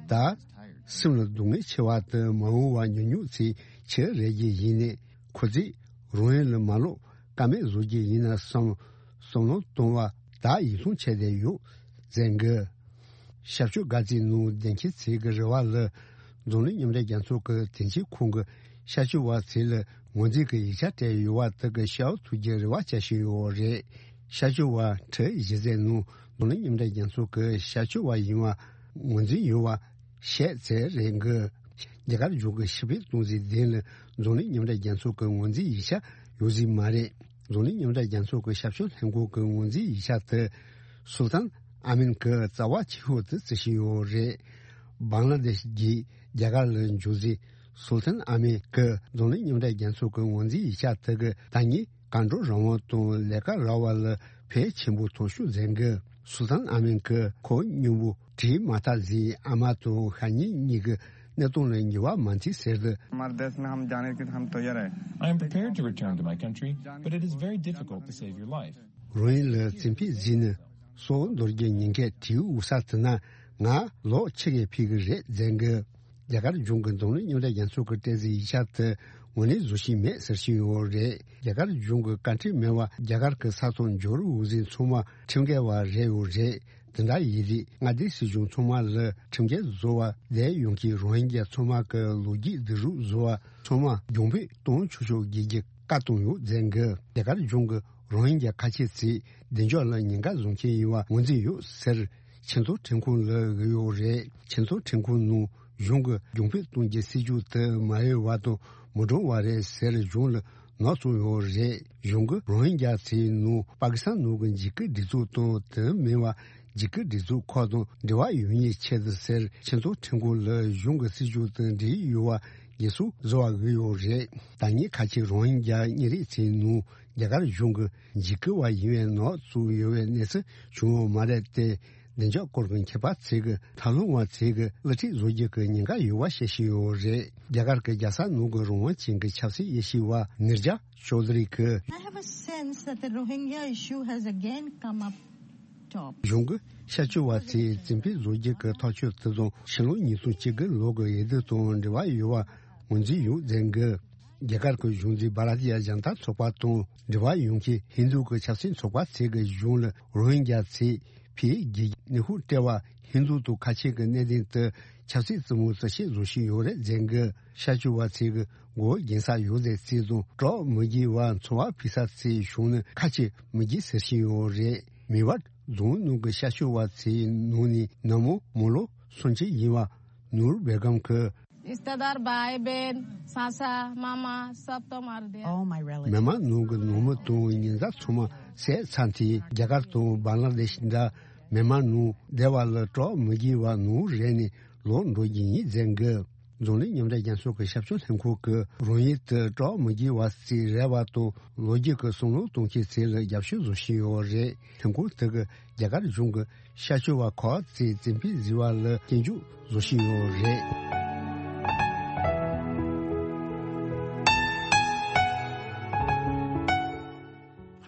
ད་སེམས་ལ་སྡུག་བསྔལ་ཆེ་བ་དེ་མ་འོངས་པ་ཉུང་ཉུང་ཚེ་ཆེ་རེད་ཀྱི་ཡིན་ནས་ཁོ་ཚོས་རོ་ཧིན་ལ་མ་ལོག་ཀ་མེད་བཟོ་རྒྱུ་ཡིན་ན་བསམ་བསམ་བློ་གཏོང་བ་ད་ཡིད་ཚུམ་ཆད་བསྡད་ཡོད་ཟེར་གི། ཤར་ཕྱོགས་དགའ་ཚལ་ནང་བདེ་འཁྱིལ་ཚེ་གི་རེ་བ་ལ། འཛམ་གླིང་མཉམ་འབྲེལ་རྒྱལ་ཚོགས་ཀྱི་དོན་གཅོད་ཁང་གི་ཤར་ཕྱོགས་བ་ཚེ་ལ་ངོས་འཛིན་གྱི་ཡིག་ཆ་སྤྲད་ཡོད་པ་དག་གི་ཤར་ཐུག་རྒྱུ་རེ་བ་བྱ་བཞིན་ཡོད་རེད། ཤར་ཕྱོགས་བ་ཁྲི་བཞི་ཚན་ནང་འཛམ་གླིང་མཉམ་འབྲེལ་རྒྱལ་ཚོགས་ཀྱི་ཤར་ཕྱོགས་བ་ཡིན་པ་ངོས་འཛིན་ཡོད་པ་བཤད་ཚེ་རེད་གི། རྒྱ་གར་གཞུང་གི་ཕྱིར་འབུད་གཏོང་རྩིས་ལྡན་ལ་འཛམ་གླིང་མཉམ་འབྲེལ་རྒྱལ་ཚོགས་ཀྱི་ངོས་འཛིན་ཡིག་ཆ་ཡོད་རྩིས་མ་རེད། འཛམ་གླིང་མཉམ་འབྲེལ་རྒྱལ་ཚོགས་ཀྱི་ཞབས་ཞུ་ལྷན་ཁང་གི་ངོས་འཛིན་ཡིག་ཆ་དེ་སུལ་ཏན་ཨ་མིན་གྱི་རྩ་བ་ཆེ་ཤོས་དེ་བརྩི་བཞིན་ཡོད་རེད། བང་ལ་དེཤ་གིས་རྒྱ་གར་ལ་འབྱོར་རྩིས་སུལ་ཏན་ཨ་མིན་གྱིས་འཛམ་གླིང་མཉམ་འབྲེལ་རྒྱལ་ཚོགས་ཀྱི་ངོས་འཛིན་ཡིག་ཆ་དེ་གི་ད་ཉིད་གང་འགྲོ་རང་དབང་དང་ལས་ཀ་རག་པ་ལ་ཕན་ཆེན་པོ་ཐོགས་ཤོག་མཛད་གི། སུལ་ཏན་ཨ་མིན་གྱིས་ཁོ་སྙིང་པོ་བྲིས་མ་ཐག་ཟིན་ཨ་མ་དང་ཤ་ཉེ་གཉིས་ཀྱི་གནས་སྟངས་ལ་འགྱུར་བ་མ་མཐུན་ཟེར་ཏེ། हमारे देश में हम जाने के हम तैयार है। I am prepared to return to my country, but it is very difficult to save your life. རང་ཡུལ་ལ་རྩིས་ཕིག་བརྫིས་ནས་སྲོག་འདོར་རྒྱུ་ཉེན་ཁའི་དུས་འུ་ས་དེ་ན་ང་ལོག་ཕྱི་གའི་ཕིག་གི་རེད་མཛད་གི། རྒྱ་གར་གཞུང་གིས་འཛམ་གླིང་མཉམ་འབྲེལ་རྒྱལ་ཚོགས་ཀྱི་སྤྲད་རྩིས་ཡིག་ཆ་དེ་ངོས་ལེན་བཟོ་བཞིན་མེད་ཟེར་བཞིན་ཡོད་རེད། རྒྱ་གར་གཞུང་གི་བཀའ་འཁྲོལ་མེད་པར་རྒྱ་གར་གྱི་ས་ཐོག་འབྱོར་འོས་འཛིན་ཚང་མ་ཁྲིམས་འགལ་བ་རེད་ཡོད་རེད། དེ་འདྲ་ཡིན་དུས་མངའ་སྡེ་སྲིད་གཞུང་ཚང་མ་ལ་ཁྲིམས་འགལ་བཟོ་བ་བསྡད་ཡོང་གི། རོ་ཧིན་རྒྱ་ཚང་མ་གི་ལོ་རྒྱུས་སྒྲིག་རུས་བཟོ་བ་ཚང་མ་རྒྱུན་སྤེལ་གཏོང་ཆོག་ཆོག་བྱེད་རྒྱུ་བཀའ་གཏོང་ཡོད་མཛད་གི། རྒྱ་གར་གཞུང་གིས་རོ་ཧིན་རྒྱ་ཁ་ཆེ་ཚོས་བདེ་འཇགས་ལ་ཉེན་ཁ་བཟོ་མཁན་ཡིན་པ་ངོས་འཛིན་ཡོད་ཟེར་ཆེས་མཐོའི་ཁྲིམས་ཁང་ལ་འབུལ་ཡོད་རེད། ཆེས་མཐོའི་ཁྲིམས་ཁང་ནང་གཞུང་གིས་རྒྱུན་སྤེལ་གཏོང་རྒྱུའི་སྲིད་ཇུས་དེ་མ་འོས་པ་དང་མི་འགྲོ་བ་རེད་ཟེར་གཞུང་ལ་ནག་བཙུགས་ཡོད་རེད། གཞུང་གིས་རོ་ཧིན་རྒྱ་ཚོའི་ནང་པ་ཀི་སི་ཐན་ནང་གི་འཇིགས་སྐུལ་སྒྲིག་འཛུགས་དང་དེ་མིན་པ་འཇིགས་སྐུལ་སྒྲིག་འཛུགས་ཁག་དང་འབྲེལ་བ་ཡོད་མཁན་ཆེད་དུ་ཟེར་ཆེས་མཐོའི་ཁྲིམས་ཁང་ལ་གཞུང་གི་སྲིད་ཇུས་དང་འབྲེལ་ཡོད་པ་ཡིག་གཟུགས་བཟོ་བ་འབུལ་ཡོད་རེད། ད་ངས་ཁ་ཆེ་རོ་ཧིན་རྒྱ་མི་རིགས་ཚོའི་ནང་རྒྱ་གར་གཞུང་གིས་འཇིགས་སྐུལ་བ་ཡིན་པའི་ནག་བཙུགས་ཡོད་པའི་གནས་ཚུལ་བྱུང་ཡོད་མ་རེད་དེ། བདེ་འཇགས་སྐོར་གྱི་མཁས་པ་ཚོས་ཀྱི་ཐབས་ལམ་བ་ཚོས་ཀྱི་གླུ་ཁྲིད་བཟོ་རྒྱུ་གི་ཉེན་ཁ་ཡོད་པ་བཤད་བཞིན་ཡོད་རེད། རྒྱ་གར་གྱི་རྒྱལ་ས་ནང་གི་རང་དབང་ཅན་གྱི་ཆབ་སྲིད་དབྱེ་ཞིབ་པ་ནིར་ཇ་ཅོ་དྷ་རི་གིས། I have a sense that the Rohingya issue has again come up top. གཞུང་གིས་ཤར་ཕྱོགས་པ་ཚོས་རྩིས་འཕེན་བཟོ་རྒྱུ་གི་ཐག་གཅོད་དེ་དང་ཕྱི་ལོ་ཉིས་སྟོང་བཅུ་དགུ་ལོ་གི་འོས་བསྡུ་དང་འབྲེལ་བ་ཡོད་པ་ངོས་འཛིན་ཡོད་མཛད་གི། རྒྱ་གར་གྱི་གཞུང་འཛིན་བྷ་ར་ཏི་ཡ་ཇན་ཏ་ཚོགས་པ་དང་འབྲེལ་བ་ཡོད་མཁན་ཧིན་རྡུ་གི་ཆབ་སྲིད་ཚོགས་པ་ཚོས་ཀྱི་གཞུང་ལ་རོ་ཧིན་རྒྱ་ཚོས་ཕེ་གི་ནུས་ཤུགས་སྤྲད་པ་ཧིན་རྡུ་དང་ཁ་ཆེ་གི་གནད་དོན་དུ་ཆབ་སྲིད་རྩེད་མོ་རྩེད་ཆེད་བཟོ་བཞིན་ཡོད་རེད་མཛད་གི། ཤར་ཕྱོགས་པ་ཚོས་ཀྱི་མགོ་བོ་འགེངས་ས་ཡོད་ཚད་རྩིས་དང་གྲོགས་མི་དགེ་བ་འཚོ་བ་ཕུད་ས་ཚོའི་གཞུང་ནི་ཁ་ཆེ་མི་དགེ་ཟེར་བཞིན་ཡོད་རེད། མི་བར་རྫོང་ནང་གི་ཤར་ཕྱོགས་པ་ཚོའི་ནང་ནས་ནང་མོ་མོ་ལོ་སུམ་ཅུ་ཡིན་པ་ནུར་བེ་གམ་གྱིས། रिश्तेदार, भाई बहन, चाचा, मामा, सब तो मार दिया। All my relatives. མི་མང་ནང་གི་ནང་མི་དང་ཉེ་མཛའ་ཚང་མ་བསད་ཚར་དུས་རྒྱ་གར་དང་བང་ལ་དེ་ཤི་འདྲ་མི་མང་ནང་བསྡད་པ་ལ་གྲོགས་མི་དགེ་བ་ནུར་རེ་ནས་ལོག་འགྲོ་རྒྱུ་ཡིན་མཛད་གི། འཛམ་གླིང་མཉམ་འབྲེལ་རྒྱལ་ཚོགས་ཀྱི་ཞབས་ཞུ་ལྷན་ཁང་གིས་རང་ཡུལ་དུ་གྲོགས་མི་དགེ་བ་ཚོའི་རེ་བ་དང་ལོ་རྒྱུས་ཀྱི་བསམ་བློ་གཏོང་མཁན་ཚོ་ལ་རྒྱབ་སྐྱོར་བཟོ་བཞིན་ཡོད་རེད། ལྷན་ཁང་དེ་གིས་རྒྱ་གར་གཞུང་གི་ཤར་ཕྱོགས་པ་ཁག་ཅིག་རྩིས་འཕེན་བཟོས་པ་ལ་སྐྱོན་བརྗོད་བཟོ་བཞིན་ཡོད་རེད།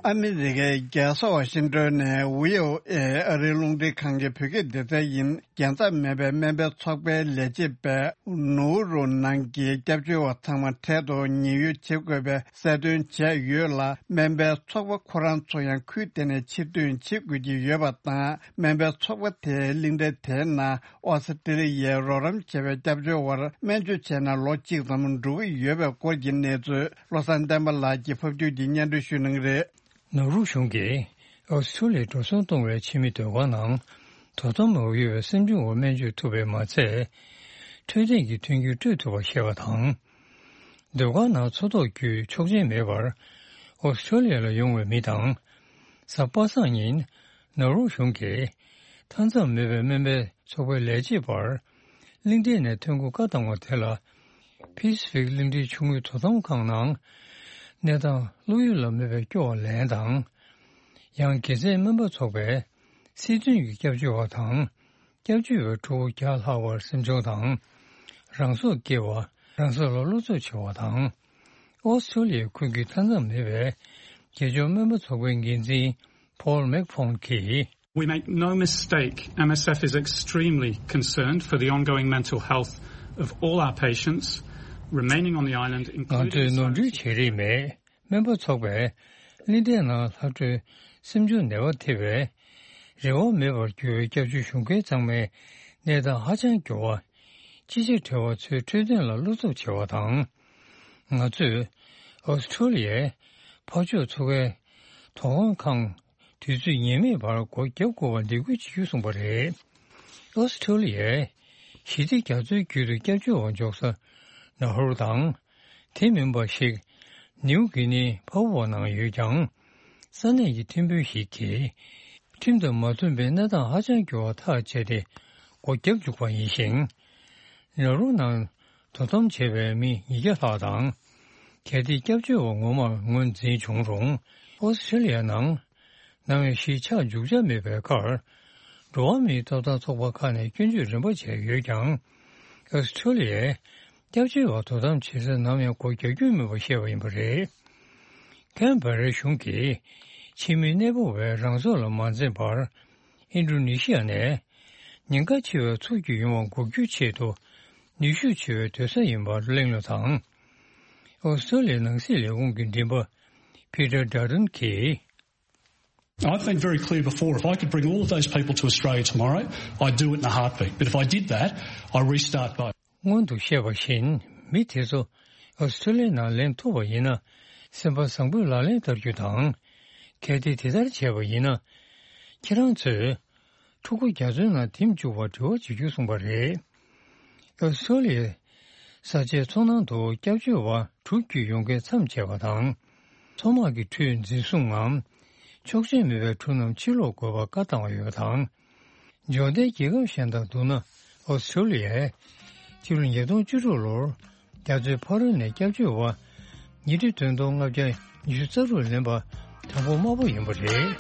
ཨ་མི་རི་ཀའི་རྒྱལ་ས་ཝ་ཤིང་ཏོན་ནས་བྷི་ཨོ་ཨེ་ཨ་རིའི་རླུང་འཕྲིན་ཁང་གི་བོད་སྐད་སྡེ་ཚན་ཡིན། རྒྱལ་མཚམས་མེད་པའི་སྨན་པའི་ཚོགས་པའི་ལས་བྱེད་པས་ནོར་རུ་ནང་གི་སྐྱབས་བཅོལ་བ་ཚང་མ་འཕྲལ་དུ་ཉེན་གཡོལ་བྱེད་དགོས་པའི་གསལ་སྟོན་བྱས་ཡོད་ལ། སྨན་པའི་ཚོགས་པ་ཁོ་རང་ཚོ་ཡང་ཁུལ་དེ་ནས་ཕྱིར་ཐོན་བྱེད་དགོས་ཀྱི་ཡོད་པ་དང་། སྨན་པའི་ཚོགས་པ་དེའི་གླིང་ཕྲན་དེའི་ནང་ཨོ་སི་ཀྲི་ལི་ཡའི་རོགས་རམ་བྱས་པའི་སྐྱབས་བཅོལ་བར་སྨན་བཅོས་བྱས་ནས་ལོ་གཅིག་ཙམ་འགྲོ་གི་ཡོད་པའི་སྐོར་གྱི་གནས་ཚུལ་བློ་བཟང་བསྟན་པ་ལགས་ཀྱིས་ཕབ་སྒྱུར་གྱིས་སྙན་སྒྲོན་ཞུ་གནང་གི་རེད། ནོར་ཝེ་གཞུང་གིས་ཨོ་སི་ཀྲོ་ལི་ཡར་འགྲོ་སོང་གཏོང་བའི་ཕྱི་མི་ཟློས་གར་ནང་དོ་དམ་མ་ཡོད་པའི་སེམས་ཆུང་བར་སྨན་བཅོས་ཐུབ་པས་མ་ཚད། འཕྲོད་བསྟེན་གྱི་མཐུན་འགྱུར་སྤྲོད་ཐུབ་པ་ཞེས་པ་དང་། ཟློས་གར་ནང་འཚོ་ཐོག་བརྒྱུད་ཆོག་མཆན་མེད་པར་ཨོ་སི་ཀྲོ་ལི་ཡ་ལ་ཡོང་བའི་མི་དང་། གཟའ་པ་སངས་ཉིན་ནོར་ཝེ་གཞུང་གིས་མཐའ་མཚམས་མེད་པའི་སྨན་པའི་ཚོགས་པའི་ལས་བྱེད་པར་གླིང་ཕྲན་ནས་ཐོན་ཁུངས་བཀག་བཏང་བ་དེ་ལ། པེ་སི་ཕིག་གླིང་ཕྲན་ཆུང་ངུའི་དོ་དམ་ཁང་ནང་གནས་སྟངས་བློ་ཡུལ་ལ་མེད་པའི་སྐྱོ་བ་ལན་དང་། ཡང་དགེ་མཚན་སྨན་པ་ཚོགས་པའི་སྲིད་དོན་གྱི་སྐྱབས་བཅོལ་བ་དང་སྐྱབས་བཅོལ་བའི་ཕྲུ་གུ་བརྒྱ་ལྷག་པར་སེམས་ཆུང་དང་། རང་སྲོག་བསྐྱེལ་བ། རང་སྲོག་ལ་བློ་འཚབ་བྱེད་པ་དང་། ཨོ་སི་ཀྲོ་ལི་ཡའི་ཁུལ་གྱི་མཐའ་མཚམས་མེད་པའི་རྒྱལ་སྐྱོང་སྨན་པ་ཚོགས་པའི་འགན་འཛིན་Paul McPhone་གྱིས། We make no mistake, M S F is extremely concerned for the ongoing mental health of all our patients remaining on the island, ང་ཚོས་ནོར་འཁྲུལ་བྱེད་རིགས་མེད། སྨན་པ་ཚོགས་པས་གླིང་ཕྲན་ནང་ལྷག་འཕྲོས་སེམས་ཆུང་ནད་པ་ཐེ་བའི་ རེ་བ་མེད་པར་གྱུར་བའི་སྐྱབས་བཅོལ་གཞུང་སྒེར་ཚང་མའི་གནས་སྟངས་ཧ་ཅང་འགྱུར་བ། ཅི་བྱེད་བྲེལ་བ་ཚོའི་འཕྲོད་བསྟེན་ལ་བློ་འཚབ་ཆེ་བ་དང་། ང་ཚོས་ཨོ་སི་ཁྲུ་ལི་ཡའི་འཕགས་མཆོག་མཚོ་ཁའི་དོ་དགོང་ཁང་དུས་ཚོད་ངེས་མེད་བར་སྒོ་བརྒྱབ་དགོས་པར་འདེད་སྐུལ་བྱེད་རྒྱུ་གསུངས་པ་རེད། ཨོ་སི་ཁྲུ་ལི་ཡའི་ཞི་བདེ་རྒྱ་མཚོའི་རྒྱུད་དུ་སྐྱབས་བཅོལ་བ་འཇོག་ས་ནཱ་ཧུར་དང་། དེ་མིན་པ་ཞིག་ནིའུ་གི་ནི་ཕ་བུ་བ་ནང་ཡོད་ཀྱང་། ས་གནས་ཀྱི་ཁྲིམས་དཔོན་ཞིག་གིས་ཁྲིམས་དང་མ་མཐུན་པའི་གནས་སྟངས་ཧ་ཅང་འགྱུར་བ་ཐག་བཅད་དེ་སྒོ་བརྒྱབ་བཅུག་པ་ཡིན་ཞིང་། ནཱ་རུ་ནང་དོ་དམ་བྱས་པའི་མི་ཉིས་བརྒྱ་ལྷག་དང་། གལ་ཏེ་སྐྱབས་བཅོལ་བ་ངོ་མར་ངོས་འཛིན་བྱུང་རུང་། ཨོ་སི་ཁྲུ་ལི་ཡ་ནང་ནམ་ཡང་ཞིག་ཆགས་འཇུག་འཆར་མེད་པའི་ཁར། འགྲོ་བ་མིའི་ཐོབ་ཐང་ཚོགས་པ་ཁག་ནས་སྐྱོན་བརྗོད་རིམ་པ་བྱས་ཡོད་ཀྱང་། ཨོ་སི་ཁྲུ་ལི་ཡའི་སྐྱབས་བཅོལ་བ་དོ་དམ་བྱེད་སར་ནམ་ཡང་སྒོ་རྒྱག་རྒྱུ་མིན་པ་བཤད་པ་ཡིན་པ་རེད། ཁན་བྷ་རའི་གཞུང་གིས་ཕྱི་མི་གནས་སྤོ་བའི་རང་སྲོག་ལ་མ་འཛེམས་པར། ཨིན་ཌོ་ནེ་ཤི་ཡ་ནས་ཉེན་ཁ་ཆེ་བའི་ཚུར་རྒྱུག་ཡོང་བ་འགོག་རྒྱུའི་ཆེད་དུ་ནུས་ཤུགས་ཆེ་བའི་སྡོད་ས་ཡིན་པར་གླེང་སློང་དང་། ཨོ་སི་ཀྲོ་ལི་ཡའི་ནང་སྲིད་ལས་ཁུངས་ཀྱི་མགྲིན་པ་ཕི་ཏར་ཌར་ཌན་གྱིས། I've been very clear before. If I could bring all of those people to Australia tomorrow, I'd do it in a heartbeat. But if I did that, I restart both. སྔོན་དུ་བཤད་པ་བཞིན། མི་དེ་ཚོ་ཨོ་སི་ཀྲོ་ལི་ཡ་ནང་ལེན་ཐུབ་པ་ཡིན་ན། སེམས་པ་བཟང་པོས་ལག་ལེན་བསྟར་རྒྱུ་དང་། གལ་ཏེ་དེ་ལྟར་བྱས་པ་ཡིན་ན། ཁྱེད་རང་ཚོས་ཕྲུ་གུ་རྒྱ་མཚོའི་ནང་འཐིམ་བཅུག་པར་དྲི་བ་བྱེད་རྒྱུ་གསུངས་པ་རེད། ཨོ་སི་ཀྲོ་ལི་ཡའི་ས་ཆའི་མཚོ་ནང་དུ་སྐྱབས་བཅོལ་བ་དྲུག་བརྒྱུད་ཡོང་མཁན་མཚམས་ཆད་པ་དང་། མཚོ་དམག་གི་ཁྲོད་འཛིན་བཟུང་ངམ། ཆོག་མཆན་མེད་པའི་འཁྲུག་རྣམས་ཕྱིར་སློག་དགོས་པར་བཀའ་བཏང་བ་ཡོད་པ་དང་། འབྱོར་ལྡན་རྒྱལ་ཁབ་གཞན་དང་བསྡུར་ན། ཨོ་སི་ཀྲོ་ལི་ཡས་ཕྱི་ལོ་ཉིས་སྟོང་བཅུ་དྲུག་ལོར་རྒྱ་མཚོའི་ཕ་རོལ་ནས་སྐྱབས་བཅོལ་བ་ཉིས་ཁྲི་བདུན་སྟོང་ལྔ་བརྒྱ་ཉི་ཤུ་རྩ་དྲུག་ལེན་པ་དང་པོ་དམའ་པོ་ཡིན་པ་རེད།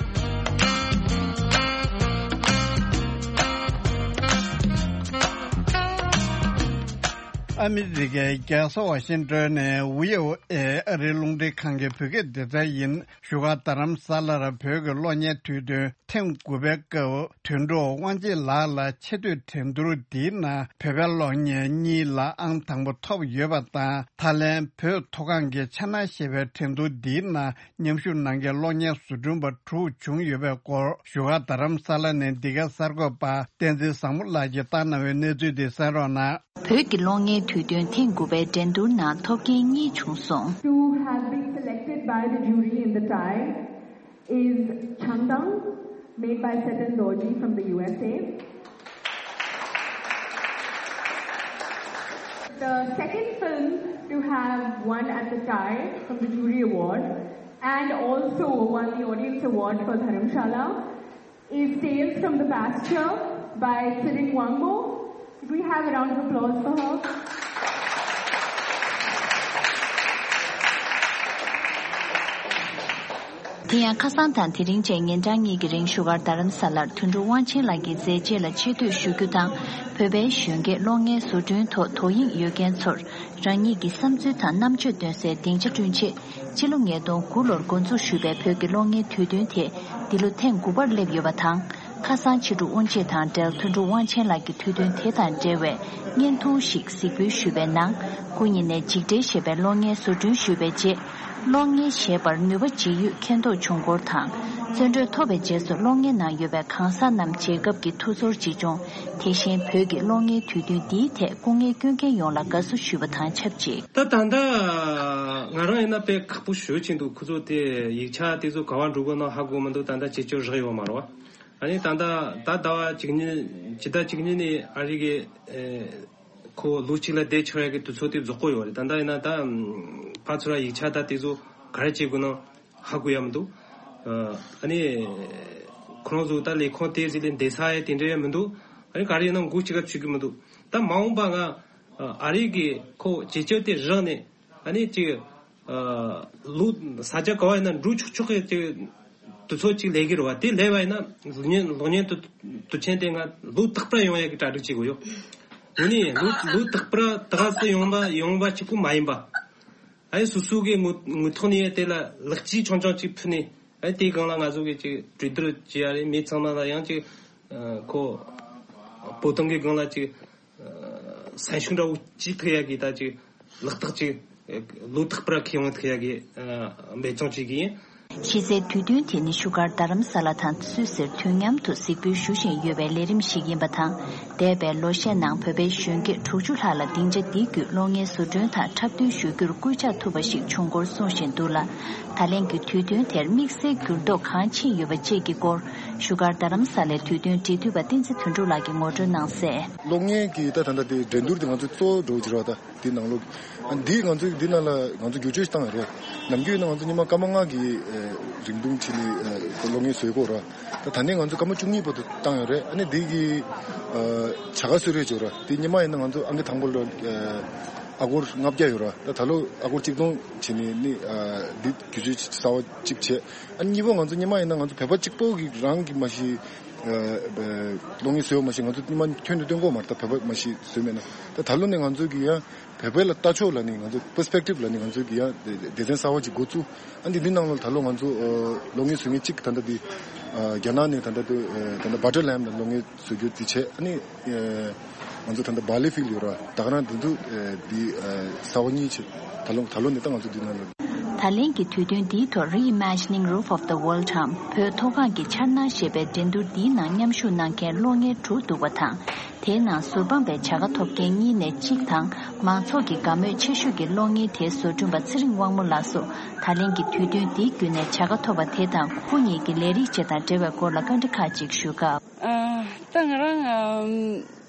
ཨ་མི་རི་ཀའི་རྒྱལ་ས་ཝ་ཤིང་ཏོན་ནས་ཝི་ཨོ་ཨེ་ཨ་རིའི་རླུང་འཕྲིན་ཁང་གི་བོད་སྐད་སྡེ་ཚན་ཡིན། བཞུགས་སྒར་རྡ་རམ་ས་ལར་བོད་ཀྱི་གློག་བརྙན་དུས་སྟོན་ཐེངས་དགུ་པའི་སྐབས། དོན་གྲུབ་དབང་ཆེན་ལགས་ལ་ཆེ་བསྟོད་འགྲན་བསྡུར་འདིའི་ནང་བོད་པའི་གློག་བརྙན་གཉིས་ལ་ཨང་དང་པོ་ཐོབ་ཡོད་པ་དང་། ད་ལན་བོད་མཐོ་སྒང་གི་འཆར་སྣང་ཞེས་པའི་འགྲན་བསྡུར་འདིའི་ནང་མཉམ་ཞུགས་གནང་མཁན་གློག་བརྙན་བཟོ་སྐྲུན་པ་དྲུག་བྱུང་ཡོད་པའི་སྐོར། བཞུགས་སྒར་རྡ་རམ་ས་ལ་ནས་འདི་ག་གསར་འགོད་པ་བསྟན་འཛིན་བཟང་མོ་ལགས་ཀྱིས་བཏང་གནང་བའི་གནས་ཚུལ་འདི་གསན་རོགས་གནང་། བོད་ཀྱི་གློག་བརྙན་དུས་སྟོན་ཐེངས་དགུ་པའི་འགྲན་བསྡུར་ནང་ཐོབ་མཁན་གཉིས་བྱུང་སོང་། To have been selected by the jury in the tie is Changdang, made by Setan Dorji from the U S A. The second film to have won at the tie from the jury award and also won the audience award for Dharamshala is Tales from the Pasture by Tshering Wangmo. Could we have a round of applause for her? དེ་ཡང་ཁ་སང་དང་དེ་རིང་བཅས་ཉིན་གྲངས་གཉིས་ཀྱི་རིང་བཞུགས་སྒར་རྡ་རམ་ས་ལར་དོན་གྲུབ་དབང་ཆེན་ལགས་ཀྱི་མཛད་རྗེས་ལ་ཆེ་བསྟོད་ཞུ་རྒྱུ་དང་། བོད་པའི་གཞོན་སྐྱེས་གློག་བརྙན་བཟོ་སྐྲུན་ཐོག་དོ་དབྱིངས་ཡོད་མཁན་ཚོར་རང་ཉིད་ཀྱི་བསམ་ཚུལ་དང་རྣམ་དཔྱོད་འདོན་སའི་སྡིངས་ཆ་བསྐྲུན་ཆེད། ཕྱི་ལོ་ཉིས་སྟོང་དགུ་ལོར་འགོ་འཛུགས་ཞུས་པའི་བོད་ཀྱི་གློག་བརྙན་དུས་སྟོན་དེ་འདི་ལོ་ཐེངས་དགུ་པར་སླེབས་ཡོད་པ་དང་། ཁ་སང་ཕྱི་དྲོ་དབུ་འབྱེད་དང་འབྲེལ་དོན་གྲུབ་དབང་ཆེན་ལགས་ཀྱི་དུས་སྟོན་དེ་དང་འབྲེལ་བའི་བརྙན་ཐུང་ཞིག་གཟིགས་འབུལ་ཞུས་པའི་ནང་། སྐུ་ཉིད་ནས་འཇིགས་བྲལ་ཞེས་པའི་གློག་བརྙན་བཟོ་སྐྲུན་ཞུས་པའི་རྗེས། གློག་བརྙན་བཞེས་པར་ནུས་པ་ཇི་ཡོད་མཁྱེན་རྟོགས་བྱུང་སྐོར་དང་། བརྩོན་འགྲུས་ཐོབ་པའི་རྗེས་སུ་གློག་བརྙན་ནང་ཡོད་པའི་གང་ཟག་རྣམས་མཇལ་སྐབས་ཀྱི་ཐུགས་ཚོར་ཅི་བྱུང་། དེ་བཞིན་བོད་ཀྱི་གློག་བརྙན་དུས་སྟོན་འདིའི་ཐད་སྐུ་ངལ་སྐྱོན་མཁན་ཡོངས་ལ་དགའ་བསུ་ཞུས་པ་དང་ཆབས་ཅིག་ད་ད་ལྟ་ང་རང་ཡིན་ན་དཔེ་ཁག་པོ་ཞེ་པོ་ཅིག་འདུག་ཁོ་ཚོ་དེ་ཡིག་ཆ་དེ་ཚོ་ག་བ་འགྲོ་དགོས་ན་ཧ་གོ་མི་འདུག་ད་ལྟ་བྱེད་སྤྱོད་རག་ཡོད་མ་རེད་བ། ཨ་ནི་ད་ལྟ་ད་ཟླ་བ་གཅིག་གཉིས་ཕྱི་ཟླ་གཅིག་གཉིས་ནས་ཨ་རི་གི་ཁོ་ལོ་གཅིག་ལ་བསྡད་ཆོག་ཡ་གི་དུས་ཚོད་དེ་རྫོགས་ཀྱི་ཡོད་རེད། ད་ལྟ་ཡིན་ན་ད་ཕར་ཚུར་ཡིག་ཆ་ད་དེ་ཚོ་ག་རེ་བྱེད་དགོས་ན་ཧ་གོ་ཡ་མི་འདུག་ཨ་ནི་ཁོ་རང་ཚོ་ད་ལས་ཁུངས་དེ་ཟིག་ལས་འདས་ས་ཡ་དེ་འདྲ་ཡ་མི་འདུག་ཨ་ནི་ག་རེ་ཡིན་ན་མགོ་གཅིག་ག་ཚོད་ཀྱི་མི་འདུག་ད་མ་འོངས་པ་ང་ཨ་རི་གི་ཁོ་བྱེད་སྤྱོད་དེ་རག་ནས། ཨ་ནི་ཅིག་ཨ་ལོ་ས་ཆ་ག་བ་ཡིན་ན་འགྲོ་ཆོག་ཆོག་གི་ཅིག་དུས་ཚོད་ཅིག་ལས་ཀྱི་རེད་བ། དེ་ལས་བ་ཡིན་ན་གློག་བརྙན་གློག་བརྙན་དུ་དུས་ཆེན་དེ་ང་ལོ་རྟག་པར་ཡོང་ཡ་གི་གྲ་སྒྲིག་བྱེད་དགོས་ཡོད། དེ་ནི་ལོ་ལོ་རྟག་པར་ད་ག་སེ་ཡོང་བ་ཡོང་བ་གཅིག་པུ་མ་ཡིན་པ། ཨ་ནི་སོ་སོ་གི་ངོ་ངོ་ཐོག་ནས་དེ་ལ་ལེགས་སྐྱེས་ཆུང་ཆུང་ཅིག་ཕུལ་ནས། ཨ་ནི་དེའི་སྒང་ལ་ང་ཚོ་གི་ཅིག་གྲོས་བསྡུར་བྱེད་ཡ་རེད། མི་ཚང་མ་ལ་ཡང་ཅིག་ཨ་ཁོ་བོད་དོན་གི་སྒང་ལ་ཅིག་སེམས་ཤུགས་འདྲ་བོ་ཅིག་ཐེབས་ཡ་གི་ད་ཅིག་ལག་རྟགས་ཅིག་ལོ་རྟག་པར་ཁེ་དབང་ཐེབས་ཡ་གི་འབད་བརྩོན་བྱེད་ཀྱི་ཡིན། གཞི་རྩའི་དུས་སྟོན་དེ་ནི་བཞུགས་སྒར་རྡ་རམ་ས་ལ་དང་སུད་སིར་དུས་མཉམ་དུ་གཟིགས་འབུལ་ཞུ་བཞིན་ཡོད་པའི་ལས་རིམ་ཞིག་ཡིན་པ་དང་། འདས་པའི་ལོ་ཤས་ནང་བོད་པའི་གཞོན་སྐྱེས་དྲུག་ཅུ་ལྷག་ལ་སྡིངས་ཆ་འདི་བརྒྱུད་གློག་བརྙན་བཟོ་སྐྲུན་དང་འཁྲབ་སྟོན་ཞུ་རྒྱུར་སྐུལ་ལྕག་ཐུབ་པ་ཞིག་བྱུང་སྐོར་གསུངས་བཞིན་འདུག་ལ། ད་ལན་གྱི་དུས་སྟོན་དེར་དམིགས་བསལ་འགྱུར་ལྡོག་གང་ཕྱིན་ཡོད་པ་བཅས་ཀྱི་སྐོར། བཞུགས་སྒར་རྡ་རམ་ས་ལའི་དུས་སྟོན་འབྲེལ་མཐུད་པ་བསྟན་འཛིན་དོན་གྲུབ་ལགས་ཀྱིས་ངོ་སྤྲོད་གནང་གསལ། གློག་བརྙན་གྱི་ད་ད་ལྟ་དེ་འགྲན་བསྡུར་དེ་ང་ཚོ་གཙོ་བོ་འགྲོ་གི་རེད་བ། ད་དེ་ནང་ལོགས་ཨ་འདི་ང་ཚོ་འདི་ནང་ལ་ང་ཚོ་བསྒྱུར་བཅོས་ཤིག་བཏང་ཡོད་རེད། ནམ་རྒྱུན་ཡིན་ན་ང་ཚོ་ཉི་མ་སྐར་མ་ལྔ་གི་ཨ་རིང་ཐུང་བྱས་ནས་ཨ་གློག་བརྙན་བཟོས་ཀྱི་ཡོད་རེད། ད་ད་ནས་ང་ཚོ་སྐར་མ་བཅུ་གཉིས་བར་དུ་བཏང་ཡོད་རེད། ཨ་ནི་འདི་གི་ཨ་བྱ་དགའ་གསོལ་རས་ཅིག་ཡོད་རེད། དེ་ཉི་མ་ཡིན་ན་ང་ཚོ་ཨང་ཀི་དང་པོ་ལ་ཨ་ཨ་སྒོར་ལྔ་བརྒྱ་ཡོད་རེད། ད་ད་ལོ་ཨ་སྒོར་གཅིག་སྟོང་བྱས་ནས་ནི་ཨ་འདི་བསྒྱུར་བཅོས་གསར་པ་གཅིག་བྱས། ཨ་ནི་གཉིས་པ་ང་ཚོ་ཉི་མ་ཡིན་ན་ང་ཚོ་བོད་པ་གཅིག་པོ་གི་རང་གི་མ་གཞི་ཨ་གློག་བརྙན་བཟོས་པ་མ་གཞི་ང་ཚོ་ཉི་མ་ཁྱོན་ནས་སྟོན་གྱི་ཡོད་མ་རེད། ད་བོད་པ་མ་གཞི་བཟོས་མེད་ན། ད་ད་ལོ་ནས་ང་ཚོ་གི་ཡང་བོད་པའི་ལ་ལྟ་ཕྱོགས་ལ་ནི་ང་ཚོ་པར་སི་པེག་ཊིབ་ལ་ནི་ང་ཚོ་གི་ཡང་སྡེ་ཚན་གསར་པ་ཅིག་འགོ་བཙུགས། ཨ་འདི་འདི་ནང་ལ་ད་ལོ་ང་ཚོ་ཨ་གློག་བརྙན་བཟོ་མཁན་གཅིག་ད་ལྟ་འདི་ཨ་རྒྱ་ནག་ནས་ད་ལྟ་འདི་ཨ་ད་ལྟ་བ་ཊར་ལེམ་ལ་གློག་བརྙན་བཟོ་རྒྱུ་འདི་བྱས། ཨ་ནི་ཨ་ང་ཚོ་ད་ལྟ་བྷ་ལི་ཕིལ་ཡོད་ར། ད་ག་རང་འདི་ཚོ་ཨ་འདི་ཨ་གསར་པ་གཉིས་བྱས། ད་ལོ་ད་ལོ་ནས་ད་ང་ཚོ་འདི་ནང་ལ། ད་ལན་གྱི་དུས་སྟོན་འདིའི་ཐོག་Reimagining Roof of the World འམ་བོད་མཐོ་སྒང་གི་འཆར་སྣང་ཞེས་པའི་འགྲན་བསྡུར་འདིའི་ནང་མཉམ་ཞུགས་གནང་མཁན་གློག་བརྙན་དྲུག་འདུག་པ་དང་། དེའི་ནང་ཟུར་དཔང་པའི་བྱ་དགའ་ཐོབ་མཁན་གཉིས་ནས་གཅིག་དང་། མང་ཚོགས་ཀྱི་དགའ་མོས་ཆེ་ཤོས་ཀྱི་གློག་བརྙན་དེའི་བཟོ་སྐྲུན་པ་ཚེ་རིང་དབང་མོ་ལགས་སུ། ད་ལན་གྱི་དུས་སྟོན་འདིའི་བརྒྱུད་ནས་བྱ་དགའ་ཐོབ་པ་དེ་དང་ཁོ་གཉིས་ཀྱི་ལས་རིགས་བཅས་དང་འབྲེལ་བའི་སྐོར་ལ་བཀའ་འདྲི་ཁག་ཅིག་ཞུས་སྐབས། ཨ། ད་ང་རང་ཨམ།